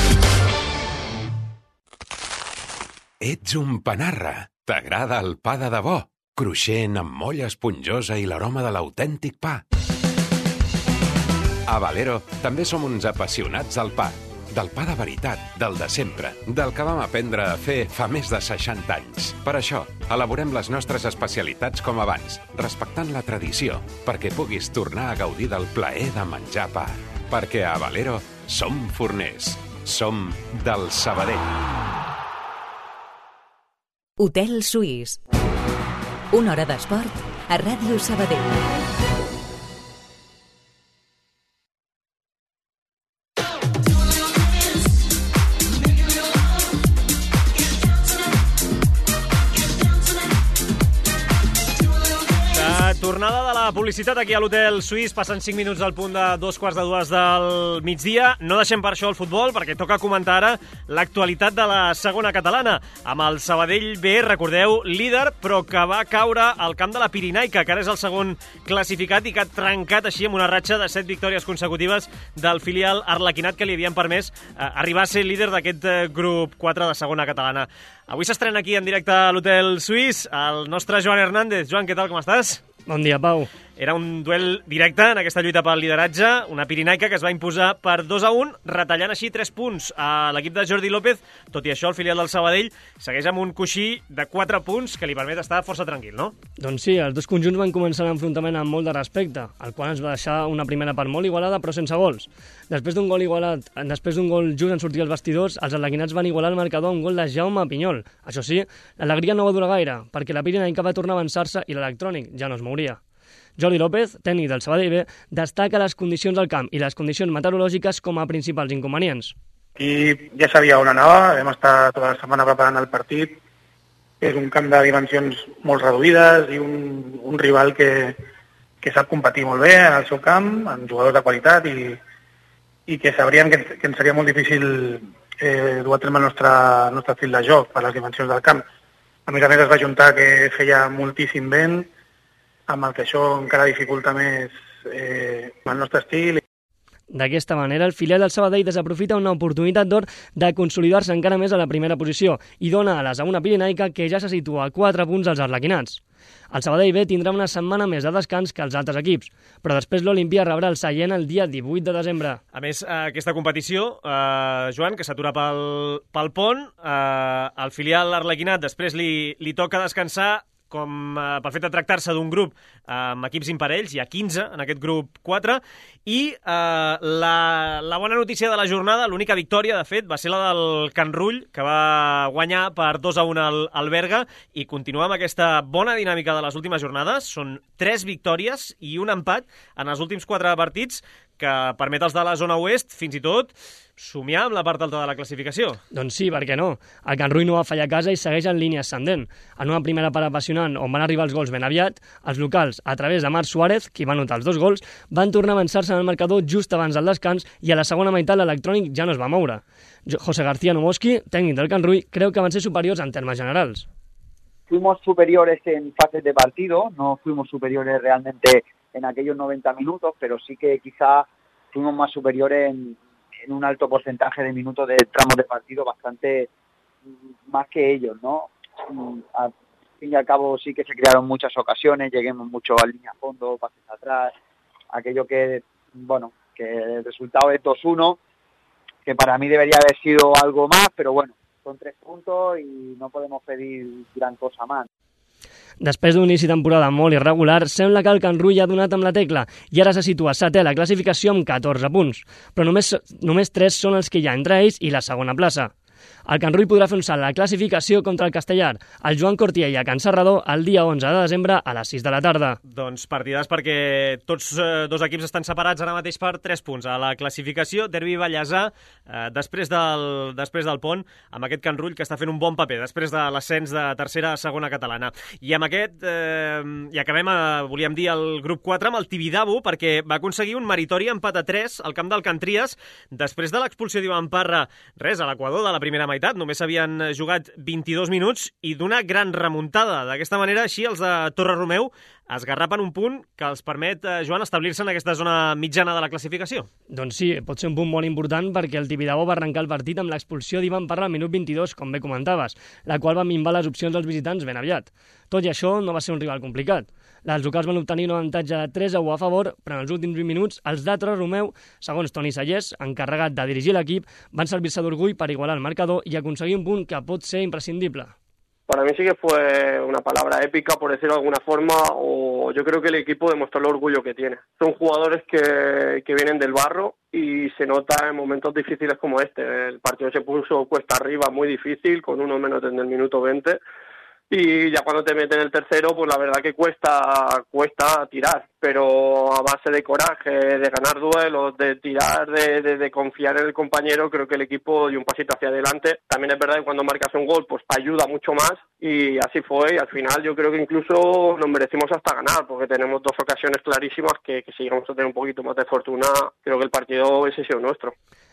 Speaker 12: Ets un panarra. T'agrada el pa de debò? Cruixent, amb molla esponjosa i l'aroma de l'autèntic pa. A Valero també som uns apassionats del pa. Del pa de veritat, del de sempre, del que vam aprendre a fer fa més de 60 anys. Per això, elaborem les nostres especialitats com abans, respectant la tradició, perquè puguis tornar a gaudir del plaer de menjar pa. Perquè a Valero som forners. Som del Sabadell.
Speaker 2: Hotel Suís. Una hora d'esport a Ràdio Sabadell.
Speaker 3: Tornada de la publicitat aquí a l'Hotel Suís. Passen 5 minuts al punt de 2:45 del migdia. No deixem per això el futbol, perquè toca comentar ara l'actualitat de la segona catalana, amb el Sabadell B, recordeu, líder, però que va caure al camp de la Pirinaica, que ara és el segon classificat i que ha trencat així amb una ratxa de 7 victòries consecutives del filial arlequinat que li havien permès arribar a ser líder d'aquest grup 4 de segona catalana. Avui s'estrena aquí en directe a l'Hotel Suís el nostre Joan Hernández. Joan, què tal, com estàs?
Speaker 13: Bon dia, Pau.
Speaker 3: Era un duel directe en aquesta lluita pel lideratge, una Pirinaica que es va imposar per 2-1, retallant així 3 punts a l'equip de Jordi López. Tot i això, el filial del Sabadell segueix amb un coixí de 4 punts que li permet estar força tranquil, no?
Speaker 13: Doncs sí, els dos conjunts van començar l'enfrontament amb molt de respecte, el qual ens va deixar una primera part molt igualada, però sense gols. Després d'un gol just en sortir els vestidors, els arlequinats van igualar el marcador amb un gol de Jaume Pinyol. Això sí, l'alegria no va durar gaire, perquè la Pirinaica va tornar a avançar-se i l'electrònic ja no es mouria. Jordi López, tècnic del Sabadell B, destaca les condicions del camp i les condicions meteorològiques com a principals inconvenients.
Speaker 14: Aquí ja sabia on anava, vam estar tota la setmana preparant el partit. És un camp de dimensions molt reduïdes i un rival que sap competir molt bé en el seu camp, amb jugadors de qualitat i que sabríem que ens seria molt difícil dur a terme el nostre estil de joc per les dimensions del camp. A més es va juntar que feia moltíssim vent, amb el que això encara dificulta més el nostre estil.
Speaker 13: D'aquesta manera, el filial del Sabadell desaprofita una oportunitat d'or de consolidar-se encara més a la primera posició i dona ales a una Pirinaica que ja se situa a 4 punts als arlequinats. El Sabadell B tindrà una setmana més de descans que els altres equips, però després l'Olimpia rebrà el Sallent el dia 18 de desembre.
Speaker 3: A més, aquesta competició, Joan, que s'atura pel pont, al filial arlequinat després li toca descansar com pel fet de tractar-se d'un grup amb equips imparells, hi ha 15 en aquest grup 4, i la bona notícia de la jornada, l'única victòria, de fet, va ser la del Can Rull, que va guanyar per 2-1 al Berga, i continua amb aquesta bona dinàmica de les últimes jornades. Són 3 victòries i un empat en els últims 4 partits, que permet als de la zona oest, fins i tot, somiar amb la part alta de la classificació.
Speaker 13: Doncs sí, per què no? El Can Rull no va fallar a casa i segueix en línia ascendent. En una primera part apassionant on van arribar els gols ben aviat, els locals, a través de Marc Suárez, qui va anotar els 2 gols, van tornar a avançar-se en el marcador just abans del descans i a la segona meitat l'electrònic ja no es va moure. José García Nomoski, tècnic del Can Rull, creu que van ser superiors en termes generals.
Speaker 15: fuimos superiores en fases de partido, no fuimos superiores realmente en aquellos 90 minutos, pero sí que quizá fuimos más superiores en un alto porcentaje de minutos de tramos de partido, bastante más que ellos, ¿no? Al fin y al cabo sí que se crearon muchas ocasiones, lleguemos mucho a línea a fondo, pases atrás, aquello que, bueno, que el resultado es 2-1, que para mí debería haber sido algo más, pero bueno, son 3 puntos i no podem pedir gran cosa més.
Speaker 13: Després d'un inici de temporada molt irregular, sembla que el Can Rull ha donat amb la tecla i ara se situa setè a la classificació amb 14 punts, però només 3 són els que hi ha entre ells i la segona plaça. El Can Rull podrà fer un salt a la classificació contra el Castellar, el Joan Cortiella a Can Serrador, el dia 11 de desembre a les 6 de la tarda.
Speaker 3: Doncs partidàs perquè tots dos equips estan separats ara mateix per 3 punts. A la classificació, Derbi Vallèsà, després del pont, amb aquest Can Rull que està fent un bon paper, després de l'ascens de tercera a segona catalana. I amb aquest, i acabem, volíem dir, el grup 4 amb el Tibidabo, perquè va aconseguir un meritori empat a 3 al camp del Can Tries, després de l'expulsió d'Ivan Parra, res, a l'Equador de la primera meitat, només havien jugat 22 minuts i d'una gran remuntada. D'aquesta manera, així, els de Torre-Romeu esgarrapen un punt que els permet, Joan, establir-se en aquesta zona mitjana de la classificació.
Speaker 13: Doncs sí, pot ser un punt molt important perquè el Tibidabo va arrencar el partit amb l'expulsió d'Ivan Parra al minut 22, com bé comentaves, la qual va minvar les opcions dels visitants ben aviat. Tot i això, no va ser un rival complicat. Els locals van obtenir un avantatge de 3-1 a favor, però en els últims 20 minuts els de Torre-Romeu, segons Toni Sallés, encarregat de dirigir l'equip, van servir-se d'orgull per igualar el marcador y aconseguir un punt que pot ser imprescindible.
Speaker 16: Para mí sí que fue una palabra épica, por decirlo de alguna forma, o yo creo que el equipo demostró el orgullo que tiene. Son jugadores que vienen del barro y se nota en momentos difíciles como este. El partido se puso cuesta arriba, muy difícil, con uno menos en el minuto 20. Y ya cuando te meten el tercero, pues la verdad que cuesta tirar, pero a base de coraje, de ganar duelos, de tirar, de confiar en el compañero, creo que el equipo dio un pasito hacia adelante. También es verdad que cuando marcas un gol, pues ayuda mucho más, y así fue, y al final yo creo que incluso nos merecimos hasta ganar, porque tenemos 2 ocasiones clarísimas que si llegamos a tener un poquito más de fortuna, creo que el partido hubiese sido nuestro.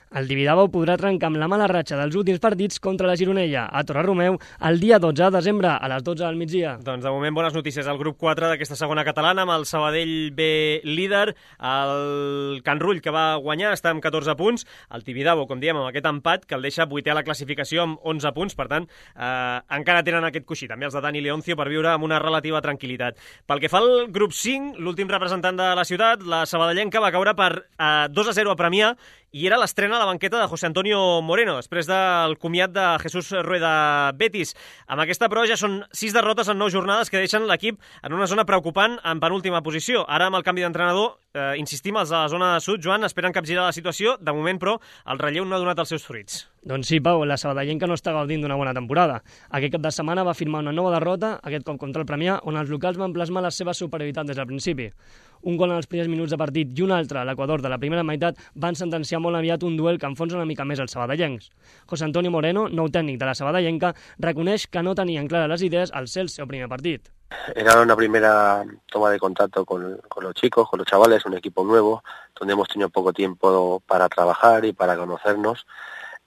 Speaker 13: El Tibidabo podrà trencar amb la mala ratxa dels últims partits contra la Gironella a Torre-Romeu el dia 12 de desembre a les 12 del migdia.
Speaker 3: Doncs de moment bones notícies al grup 4 d'aquesta segona catalana, amb el Sabadell B líder, el Can Rull que va guanyar està amb 14 punts, el Tibidabo, com diem, amb aquest empat que el deixa 8è a la classificació amb 11 punts, per tant encara tenen aquest coixí, també els de Dani Leoncio, per viure amb una relativa tranquil·litat. Pel que fa al grup 5, l'últim representant de la ciutat, la sabadellenca va caure per 2-0 a Premià, i era l'estrena a la banqueta de José Antonio Moreno, després del comiat de Jesús Rueda Betis. Amb aquesta, però, ja són 6 derrotes en 9 jornades que deixen l'equip en una zona preocupant en penúltima posició. Ara, amb el canvi d'entrenador, insistim, els de la zona sud, Joan, esperen capgirar la situació. De moment, però, el relleu no ha donat els seus fruits.
Speaker 13: Doncs sí, Pau, la sabadellenca no està gaudint d'una bona temporada. Aquest cap de setmana va firmar una nova derrota, aquest cop contra el Premià, on els locals van plasmar la seva superioritat des del principi. Un gol en els primers minuts de partit i un altre a l'Equador de la primera meitat van sentenciar molt aviat un duel que enfonsa una mica més els sabadellencs. José Antonio Moreno, nou tècnic de la sabadellenca, reconeix que no tenien clares les idees al ser el seu primer partit.
Speaker 17: Era una primera toma de contacto con los chicos, con los chavales, un equipo nuevo, donde hemos tenido poco tiempo para trabajar y para conocernos.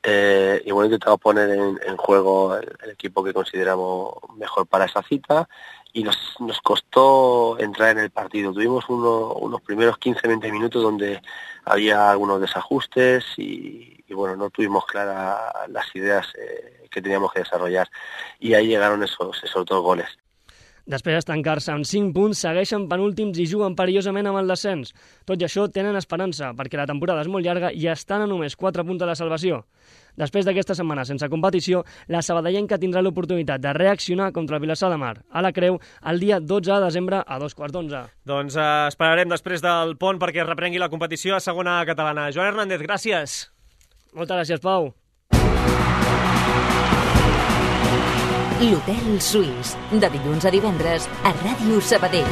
Speaker 17: Y bueno, intentamos poner en juego el equipo que consideramos mejor para esa cita, y nos costó entrar en el partido. Tuvimos unos primeros 15-20 minutos donde había algunos desajustes y bueno, no tuvimos claras las ideas que teníamos que desarrollar, y ahí llegaron esos 2 goles.
Speaker 13: Després d'estancar-se amb 5 punts, segueixen penúltims i juguen perillosament amb el descens. Tot i això, tenen esperança, perquè la temporada és molt llarga i estan a només 4 punts de la salvació. Després d'aquesta setmana sense competició, la sabadellenca tindrà l'oportunitat de reaccionar contra el Vilassar de Mar a la Creu el dia 12 de desembre a 2:15.
Speaker 3: Doncs esperarem després del pont perquè reprengui la competició a segona catalana. Joan Hernández, gràcies.
Speaker 13: Moltes gràcies, Pau.
Speaker 2: L'Hotel Suís, de dilluns a divendres a Ràdio Sabadell.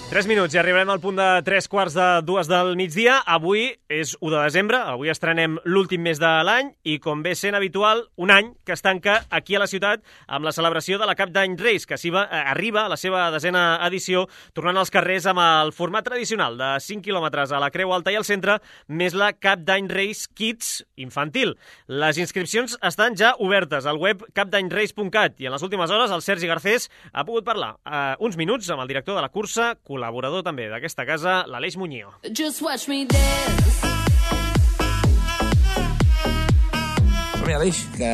Speaker 3: 3 minuts i arribarem al punt de 3:45 del migdia. Avui és 1 de desembre, avui estrenem l'últim mes de l'any i, com ve sent habitual, un any que es tanca aquí a la ciutat amb la celebració de la Cap d'Any Reis, que arriba a la seva 10a edició, tornant als carrers amb el format tradicional de 5 quilòmetres a la Creu Alta i al centre, més la Cap d'Any Reis Kids infantil. Les inscripcions estan ja obertes al web capdanyreis.cat i en les últimes hores el Sergi Garcés ha pogut parlar uns minuts amb el director de la cursa, col·laborador també d'aquesta casa, l'Aleix Muñoz.
Speaker 18: Just watch me dance.
Speaker 4: Som-hi, Aleix, que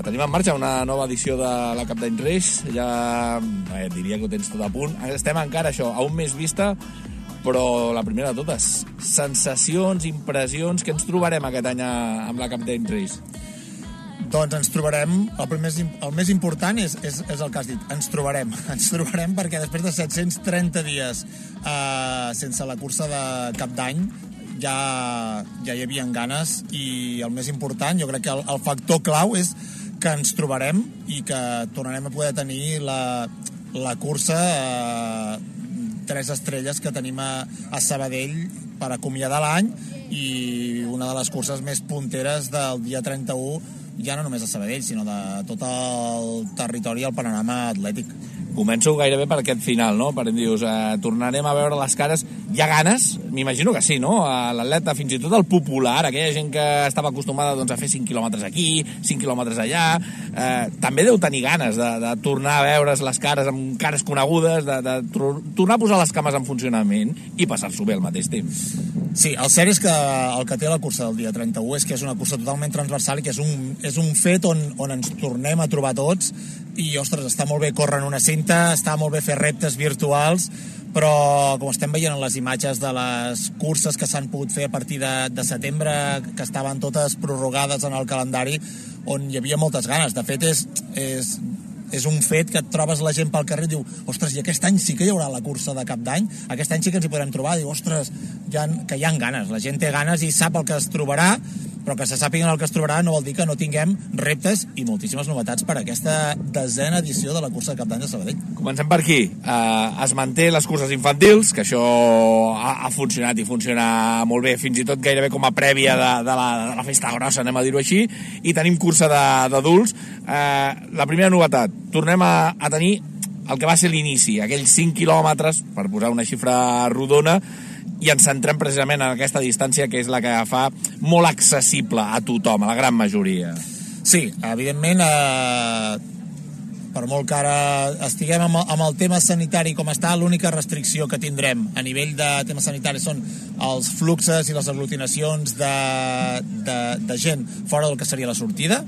Speaker 4: tenim en marxa una nova edició de la Cap d'Any Reis. Ja diria que ho tens tot a punt. Estem encara, això, a un mes vista, però la primera de totes, sensacions, impressions, què ens trobarem aquest any amb la Cap d'Any Reis?
Speaker 19: Doncs ens trobarem, el més important és el que has dit, ens trobarem perquè després de 730 dies sense la cursa de Cap d'Any ja hi havia ganes, i el més important, jo crec que el factor clau és que ens trobarem i que tornarem a poder tenir la cursa 3 estrelles que tenim a Sabadell per acomiadar l'any, i una de les curses més punteres del dia 31, ja no només a Sabadell, sinó de tot el territori i el panorama atlètic.
Speaker 4: Començo gairebé per aquest final, no? Per dius, tornarem a veure les cares. Hi ha ganes? M'imagino que sí, no? L'atleta, fins i tot el popular, aquella gent que estava acostumada a fer 5 quilòmetres aquí, 5 quilòmetres allà, també deu tenir ganes de tornar a veure's les cares amb cares conegudes, de tornar a posar les cames en funcionament i passar-s'ho bé al mateix temps.
Speaker 19: Sí, el cert és que el que té la cursa del dia 31 és que és una cursa totalment transversal i que és un fet on ens tornem a trobar tots, i, ostres, està molt bé córrer en una cinta, està molt bé fer reptes virtuals, però com estem veient en les imatges de les curses que s'han pogut fer a partir de setembre, que estaven totes prorrogades en el calendari, on hi havia moltes ganes. De fet, és un fet que et trobes la gent pel carrer i diu, ostres, i aquest any sí que hi haurà la cursa de Cap d'Any, aquest any sí que ens hi podrem trobar. Diu, ostres, que hi ha ganes, la gent té ganes i sap el que es trobarà, però que se sàpiguen el que es trobarà no vol dir que no tinguem reptes i moltíssimes novetats per aquesta 10a edició de la cursa de Cap d'Any de Sabadell.
Speaker 4: Comencem per aquí. Es manté les curses infantils, que això ha funcionat i funciona molt bé, fins i tot gairebé com a prèvia de la festa grossa, anem a dir-ho així, i tenim cursa d'adults. La primera novetat, tornem a tenir el que va ser l'inici, aquells 5 quilòmetres, per posar una xifra rodona, i ens centrem precisament en aquesta distància que és la que fa molt accessible a tothom, a la gran majoria.
Speaker 19: Sí, evidentment, per molt que ara estiguem amb el tema sanitari com està, l'única restricció que tindrem a nivell de tema sanitari són els fluxes i les aglutinacions de gent fora del que seria la sortida,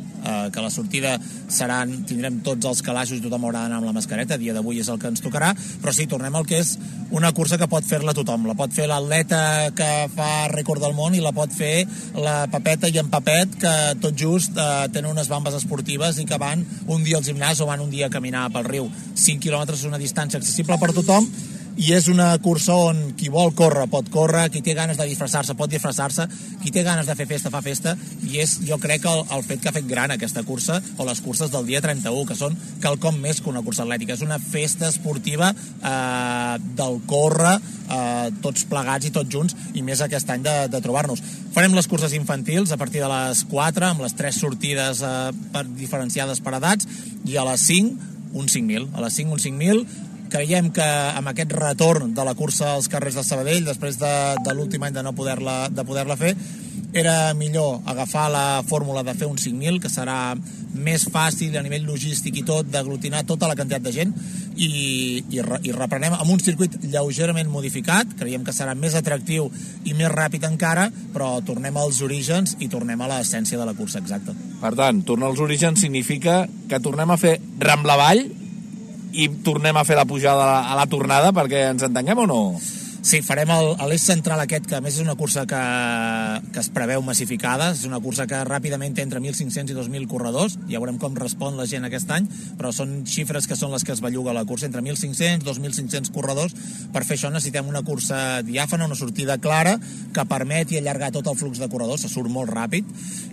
Speaker 19: que la sortida tindrem tots els calaixos i tothom haurà d'anar amb la mascareta, a dia d'avui és el que ens tocarà, però sí, tornem al que és una cursa que pot fer-la tothom, la pot fer l'atleta que fa rècord del món i la pot fer la Pepeta i en Pepet, que tot just tenen unes bambes esportives i que van un dia al gimnàs o van un dia a caminar pel riu. 5 quilòmetres és una distància accessible per tothom, i és una cursa on qui vol córrer pot córrer, qui té ganes de disfressar-se pot disfressar-se, qui té ganes de fer festa fa festa, i és, jo crec, el fet que ha fet gran aquesta cursa, o les curses del dia 31, que són quelcom més que una cursa atlètica, és una festa esportiva del córrer, tots plegats i tots junts, i més aquest any de trobar-nos. Farem les curses infantils a partir de les 4, amb les 3 sortides diferenciades per edats, i a les 5 un 5.000. A les 5 un 5.000. Creiem que amb aquest retorn de la cursa als carrers de Sabadell, després de l'últim any de no poder-la fer, era millor agafar la fórmula de fer un 5.000, que serà més fàcil a nivell logístic i tot, d'aglutinar tota la quantitat de gent, i reprenem amb un circuit lleugerament modificat. Creiem que serà més atractiu i més ràpid encara, però tornem als orígens i tornem a l'essència de la cursa exacta.
Speaker 4: Per tant, tornar als orígens significa que tornem a fer Rambla avall i tornem a fer la pujada a la tornada, perquè ens entenguem o no?
Speaker 19: Sí, farem l'eix central aquest, que a més és una cursa que es preveu massificada, és una cursa que ràpidament té entre 1.500 i 2.000 corredors, ja veurem com respon la gent aquest any, però són xifres que són les que es belluga la cursa, entre 1.500 i 2.500 corredors. Per fer això necessitem una cursa diàfana, una sortida clara, que permeti allargar tot el flux de corredors, se surt molt ràpid,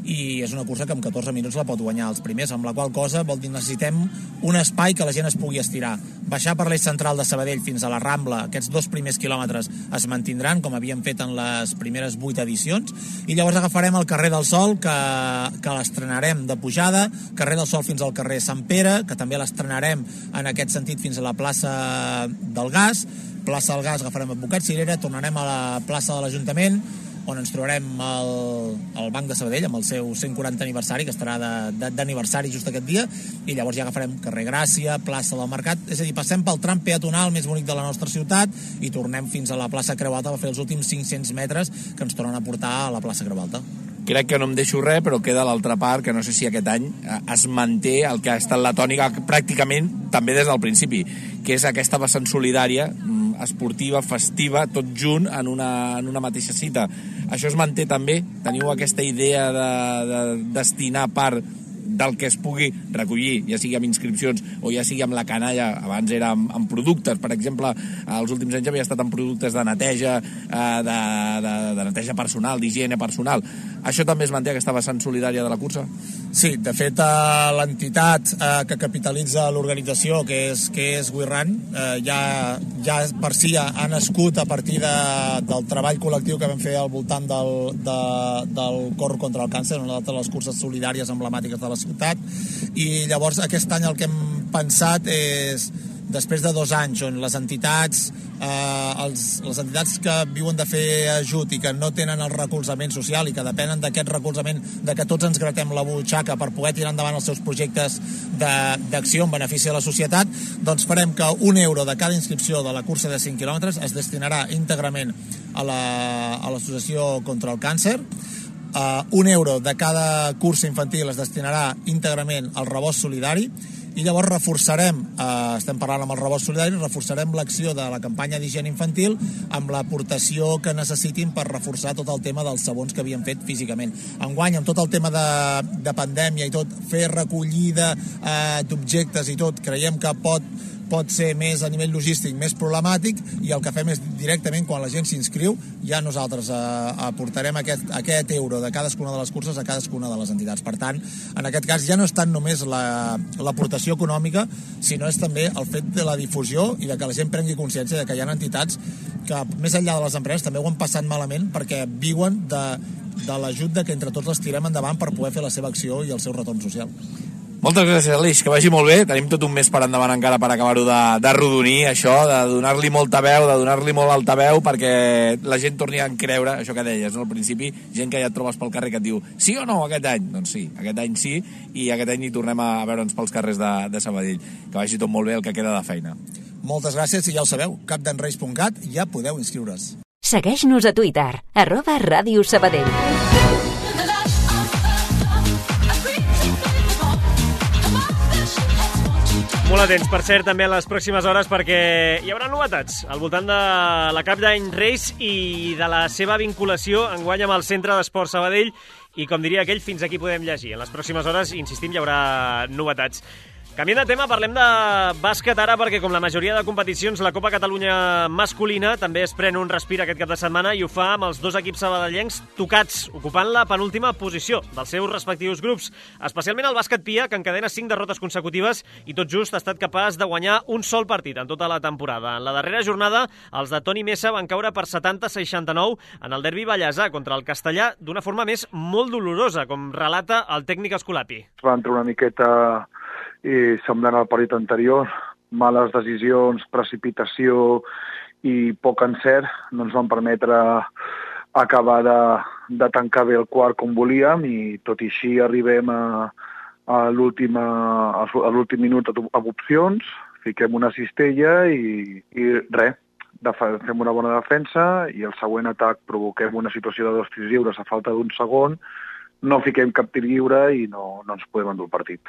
Speaker 19: i és una cursa que en 14 minuts la pot guanyar els primers, amb la qual cosa vol dir necessitem un espai que la gent es pugui estirar. Baixar per l'eix central de Sabadell fins a la Rambla, aquests 2 primers quilòmetres es mantindran, com havíem fet en les primeres 8 edicions, i llavors agafarem el carrer del Sol, que l'estrenarem de pujada, carrer del Sol fins al carrer Sant Pere, que també l'estrenarem en aquest sentit fins a la plaça del Gas, plaça del Gas agafarem Advocat Cirera, tornarem a la plaça de l'Ajuntament, on ens trobarem el Banc de Sabadell amb el seu 140 aniversari, que estarà d'aniversari just aquest dia, i llavors ja agafarem carrer Gràcia, plaça del Mercat, és a dir, passem pel tram peatonal més bonic de la nostra ciutat i tornem fins a la plaça Creu Alta per fer els últims 500 metres que ens tornen a portar a la plaça Creu Alta.
Speaker 4: Crec que no em deixo res, però queda l'altra part, que no sé si aquest any es manté el que ha estat la tònica pràcticament també des del principi, que és aquesta vessant solidària, esportiva, festiva, tot junt en una mateixa cita. Això es manté també? Teniu aquesta idea de destinar part del que es pugui recollir, ja sigui amb inscripcions o ja sigui amb la canalla, abans era amb productes, per exemple, els últims anys havia estat amb productes de neteja, de neteja personal, d'higiene personal. Això també es manté, aquesta vessant solidària de la cursa?
Speaker 19: Sí, de fet, l'entitat que capitalitza l'organització, que és WeRun, ja per si ha nascut a partir del treball col·lectiu que vam fer al voltant del Corro contra el Càncer, una de les curses solidàries emblemàtiques de la ciutat, i llavors aquest any el que hem pensat és, després de 2 anys on les entitats que viuen de fer ajut i que no tenen el recolzament social i que depenen d'aquest recolzament, de que tots ens gratem la butxaca per poder tirar endavant els seus projectes d'acció en benefici de la societat, doncs farem que €1 de cada inscripció de la cursa de 5 quilòmetres es destinarà íntegrament a l'Associació contra el Càncer. €1 de cada cursa infantil es destinarà íntegrament al rebost solidari, i llavors reforçarem, estem parlant amb el rebost solidari, reforçarem l'acció de la campanya d'higiene infantil amb l'aportació que necessitin per reforçar tot el tema dels sabons que havíem fet físicament. Enguany, amb tot el tema de pandèmia i tot, fer recollida d'objectes i tot, creiem que pot ser més a nivell logístic, més problemàtic, i el que fem és directament, quan la gent s'inscriu, ja nosaltres aportarem aquest euro de cadascuna de les curses a cadascuna de les entitats. Per tant, en aquest cas ja no és tant només l'aportació econòmica, sinó és també el fet de la difusió i de que la gent prengui consciència de que hi ha entitats que, més enllà de les empreses, també ho han passat malament perquè viuen de l'ajut de que entre tots les tirem endavant per poder fer la seva acció i el seu retorn social.
Speaker 4: Moltes gràcies, Aleix, que vagi molt bé. Tenim tot un mes per endavant encara per acabar-ho de rodonir, això, de donar-li molta veu, de donar-li molt altaveu, perquè la gent torni a creure, això que deies, no? Al principi, gent que ja et trobes pel carrer que et diu sí o no aquest any? Doncs sí, aquest any sí, i aquest any hi tornem a veure'ns pels carrers de Sabadell. Que vagi tot molt bé el que queda de feina.
Speaker 19: Moltes gràcies, i ja ho sabeu, capdenreis.cat, ja podeu inscriure's.
Speaker 2: Segueix-nos a Twitter, @Ràdio Sabadell.
Speaker 3: Molt atents, per cert, també a les pròximes hores, perquè hi haurà novetats al voltant de la Cap d'Any Reis i de la seva vinculació enguany amb el Centre d'Esport Sabadell, i com diria aquell, fins aquí podem llegir. En les pròximes hores, insistim, hi haurà novetats. Canviant de tema, parlem de bàsquet ara, perquè com la majoria de competicions, la Copa Catalunya masculina també es pren un respir aquest cap de setmana i ho fa amb els 2 equips sabadellencs tocats, ocupant la penúltima posició dels seus respectius grups. Especialment el bàsquet Pia, que encadena 5 derrotes consecutives i tot just ha estat capaç de guanyar un sol partit en tota la temporada. En la darrera jornada, els de Toni Mesa van caure per 70-69 en el derbi ballesà contra el Castellà d'una forma més molt dolorosa, com relata el tècnic Escolapi.
Speaker 20: Va entrar una miqueta i semblant al partit anterior, males decisions, precipitació i poc encert no ens van permetre acabar de tancar bé el quart com volíem, i tot i així arribem a l'últim minut amb opcions, fiquem una cistella i res, fem una bona defensa i el següent atac provoquem una situació de 2 tirs lliures a falta d'un segon, no fiquem cap tir lliure i no ens podem endur el partit.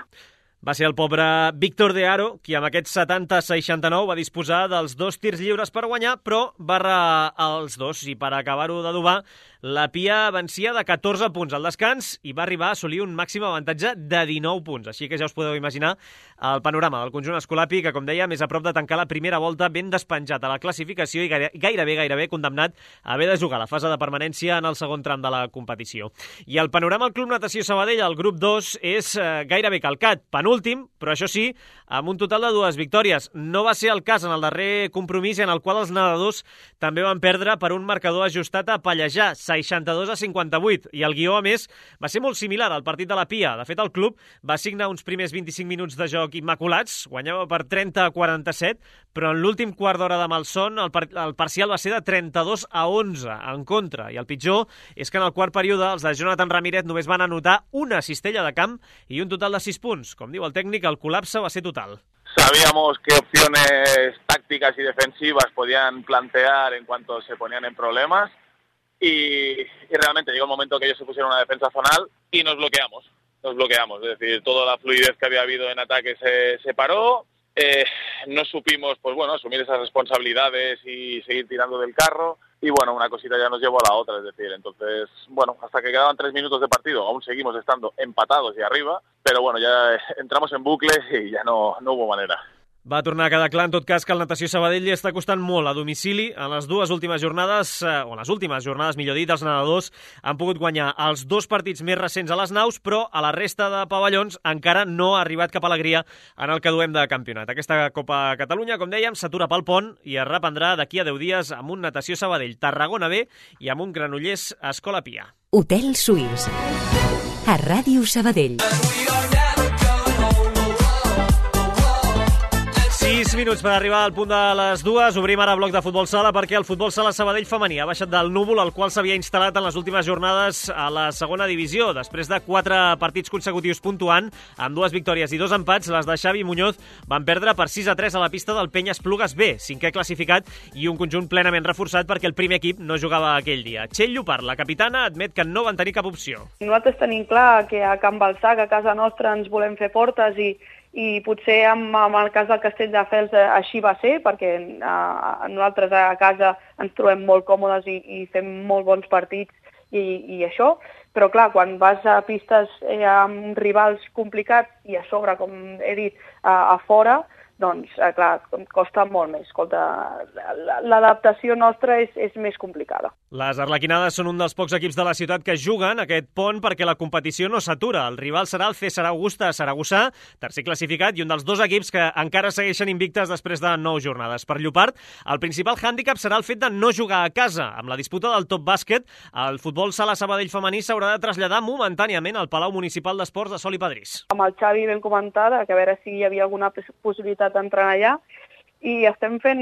Speaker 3: Va ser el pobre Víctor de Haro qui amb aquest 70-69 va disposar dels 2 tirs lliures per guanyar, però va errar els 2 i per acabar-ho d'adobar la Pia vencia de 14 punts al descans i va arribar a assolir un màxim avantatge de 19 punts. Així que ja us podeu imaginar el panorama del conjunt escolapi que, com deia, més a prop de tancar la primera volta ben despenjat a la classificació i gairebé condemnat a haver de jugar la fase de permanència en el segon tram de la competició. I el panorama al Club Natació Sabadell, al grup 2, és gairebé calcat. Penúltim, però això sí, amb un total de 2 victòries. No va ser el cas en el darrer compromís en el qual els nedadors també van perdre per un marcador ajustat a Pallejà, 62-58, i el guió, a més, va ser molt similar al partit de la Pia. De fet, el club va signar uns primers 25 minuts de joc immaculats, guanyava per 30-47, però en l'últim quart d'hora de malson el parcial va ser de 32-11 en contra, i el pitjor és que en el quart període els de Jonathan Ramírez només van anotar una cistella de camp i un total de 6 punts. Com diu el tècnic, el col·lapse va ser total.
Speaker 21: Sabíamos qué opciones tácticas y defensivas podían plantear en cuanto se ponían en problemas y realmente llegó el momento que ellos se pusieron una defensa zonal y nos bloqueamos, es decir, toda la fluidez que había habido en ataque se paró, no supimos pues bueno, asumir esas responsabilidades y seguir tirando del carro y bueno, una cosita ya nos llevó a la otra, es decir, entonces, bueno, hasta que quedaban 3 minutos de partido, aún seguimos estando empatados y arriba, pero bueno, ya entramos en bucle y ya no hubo manera.
Speaker 3: Va tornar a quedar clar, en tot cas, que el Natació Sabadell li està costant molt a domicili. En les dues últimes jornades, millor dit, els nedadors han pogut guanyar els 2 partits més recents a les naus, però a la resta de pavellons encara no ha arribat cap alegria en el que duem de campionat. Aquesta Copa Catalunya, com dèiem, s'atura pel pont i es reprendrà d'aquí a 10 dies amb un Natació Sabadell Tarragona B i amb un Granollers Escola Pia.
Speaker 2: Hotel Suís, a Ràdio Sabadell.
Speaker 3: 6 minuts per arribar al punt de les 2. Obrim ara bloc de futbol sala perquè el futbol sala Sabadell femení ha baixat del núvol al qual s'havia instal·lat en les últimes jornades a la segona divisió. Després de 4 partits consecutius puntuant, amb 2 victòries i 2 empats, les de Xavi Muñoz van perdre per 6-3 a la pista del Penya Esplugues B, 5è classificat i un conjunt plenament reforçat perquè el primer equip no jugava aquell dia. Txell Llopart, la capitana, admet que no van tenir cap opció.
Speaker 22: Nosaltres tenim clar que a Can Balsac, a casa nostra, ens volem fer fortes i potser amb el cas del Castelldefels així va ser, perquè nosaltres a casa ens trobem molt còmodes i fem molt bons partits i això, però clar, quan vas a pistes amb rivals complicats i a sobre, com he dit, a fora, doncs, clar, costa molt més. Escolta, l'adaptació nostra és més complicada.
Speaker 3: Les arlequinades són un dels pocs equips de la ciutat que juguen aquest pont perquè la competició no s'atura. El rival serà el César Augusta Saragossà, tercer classificat, i un dels 2 equips que encara segueixen invictes després de 9 jornades. Per Llopart, el principal hàndicap serà el fet de no jugar a casa. Amb la disputa del top bàsquet, el futbol sala Sabadell femení s'haurà de traslladar momentàniament al Palau Municipal d'Esports de Sol i Padrís.
Speaker 22: Amb el Xavi vam comentar que a veure si hi havia alguna possibilitat d'entrar allà i estem fent,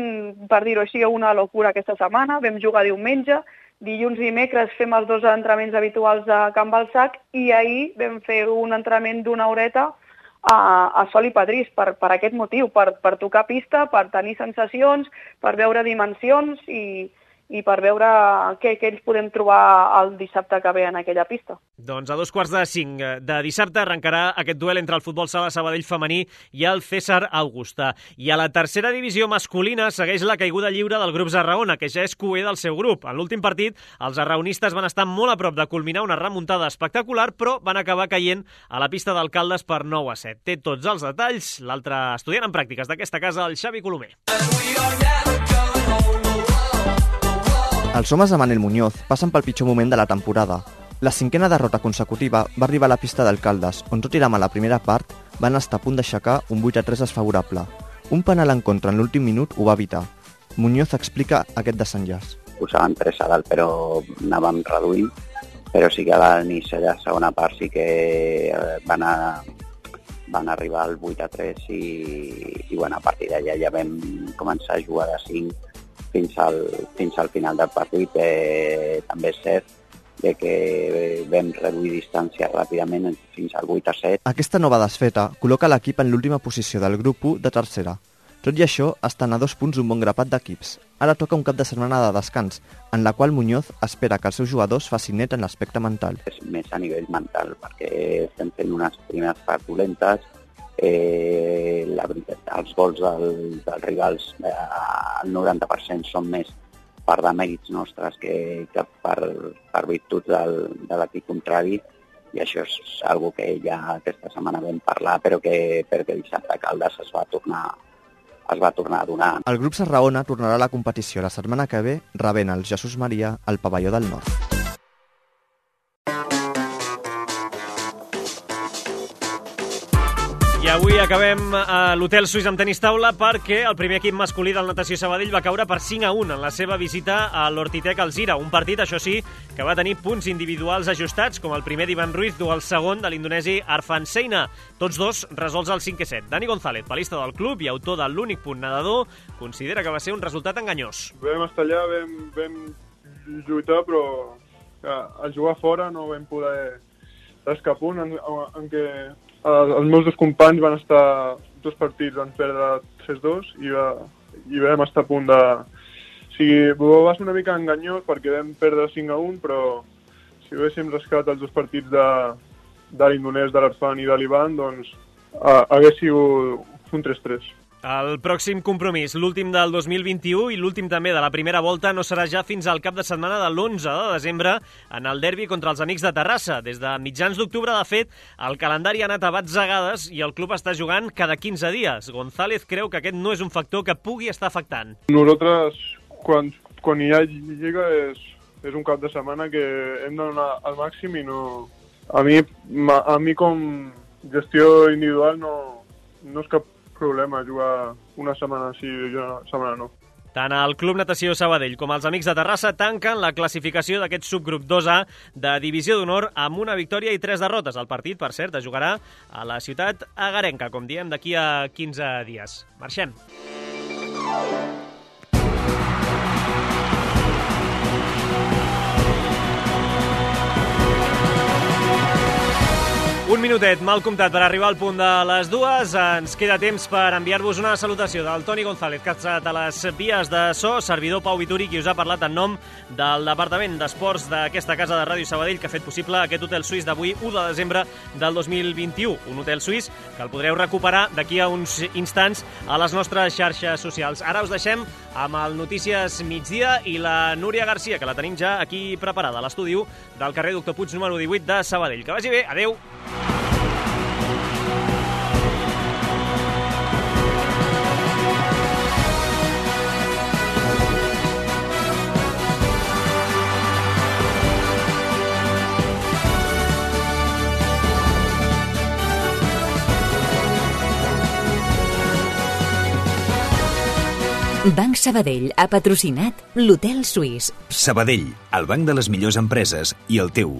Speaker 22: per dir-ho així, una locura aquesta setmana. Vam jugar diumenge, dilluns i dimecres fem els 2 entrenaments habituals a Can Balsac i ahir vam fer un entrenament d'1 horeta a Sol i Padrís per aquest motiu, per tocar pista, per tenir sensacions, per veure dimensions i per veure què ells podem trobar el dissabte que ve en aquella pista.
Speaker 3: Doncs a 4:45 de dissabte arrencarà aquest duel entre el futbol sala Sabadell femení i el César Augusta. I a la tercera divisió masculina segueix la caiguda lliure del grup Zarraona, que ja és cuer del seu grup. En l'últim partit, els arraonistes van estar molt a prop de culminar una remuntada espectacular, però van acabar caient a la pista d'Alcaldes per 9-7. Té tots els detalls l'altre estudiant en pràctiques d'aquesta casa, el Xavi Colomer.
Speaker 23: Els homes de Manel Muñoz passen pel pitjor moment de la temporada. La 5a derrota consecutiva va arribar a la pista d'Alcaldes, on tot i la mala primera part, van estar a punt d'aixecar un 8-3 desfavorable. Un penal en contra en l'últim minut ho va evitar. Muñoz explica aquest desenllaç.
Speaker 24: Posaven 3 a dalt, però anàvem reduint, però sí que a l'inici de la segona part sí que van arribar al 8-3 i bueno, a partir d'allà ja vam començar a jugar de 5 fins al final del partit. També és cert que vam reduir distància ràpidament fins al 8-7.
Speaker 23: Aquesta nova desfeta col·loca l'equip en l'última posició del grup 1 de tercera. Tot i això, estan a 2 punts d'un bon grapat d'equips. Ara toca un cap de setmana de descans, en la qual Muñoz espera que els seus jugadors facin net en l'aspecte mental.
Speaker 24: És més a nivell mental, perquè estem fent unes primeres parts dolentes La veritat, els gols dels rivals, el 90% són més per demèrits nostres que per virtuts de l'equip contrari, i això és algo que ja aquesta setmana vam parlar, però que dissabte a Caldes es va tornar a donar.
Speaker 23: El grup Sarraona tornarà a la competició la setmana que ve rebent el Jesús Maria al pavelló del Nord.
Speaker 3: I avui acabem a l'Hotel Suís amb tenis taula perquè el primer equip masculí del Natació Sabadell va caure per 5-1 en la seva visita a l'Hortitec Alzira. Un partit, això sí, que va tenir punts individuals ajustats, com el primer d'Ivan Ruiz o el segon de l'indonesi Arfan Seina. Tots dos resolts al 5-7. Dani González, palista del club i autor de l'únic punt nedador, considera que va ser un resultat enganyós.
Speaker 5: Vam estar allà, vam lluitar, però al jugar fora no vam poder rascar punt, en què els meus dos companys van estar dos partits, van perdre 3-2 i vam estar a punt de... O sigui, va ser una mica enganyós perquè vam perdre 5-1, però si haguéssim rascat els dos partits de l'indonès, de l'Arfan i de l'Ivan, doncs hagués sigut un 3-3.
Speaker 3: El pròxim compromís, l'últim del 2021 i l'últim també de la primera volta, no serà ja fins al cap de setmana de l'11 de desembre en el derbi contra els Amics de Terrassa. Des de mitjans d'octubre, de fet, el calendari ha anat a batzegades i el club està jugant cada 15 dies. González creu que aquest no és un factor que pugui estar afectant.
Speaker 5: Nosaltres, quan hi ha lliga, és un cap de setmana que hem de donar al màxim i no... A mi com gestió individual no és cap problema jugar una setmana sí i una setmana no.
Speaker 3: Tant el Club Natació Sabadell com els Amics de Terrassa tanquen la classificació d'aquest subgrup 2A de Divisió d'Honor amb una victòria i 3 derrotes. El partit, per cert, es jugarà a la ciutat agarenca, com diem, d'aquí a 15 dies. Marxem. Un minutet, mal comptat per arribar al punt de les 2. Ens queda temps per enviar-vos una salutació del Toni González, que ha estat a les vies de so, servidor Pau Vituri, qui us ha parlat en nom del Departament d'Esports d'aquesta casa de Ràdio Sabadell, que ha fet possible aquest hotel suís d'avui, 1 de desembre del 2021. Un hotel suís que el podreu recuperar d'aquí a uns instants a les nostres xarxes socials. Ara us deixem amb el Notícies Migdia i la Núria Garcia, que la tenim ja aquí preparada a l'estudi del carrer Doctor Puig número 18 de Sabadell. Que vagi bé, adeu!
Speaker 2: Banc Sabadell ha patrocinat l'Hotel Suís.
Speaker 6: Sabadell, el banc de les millors empreses i el teu.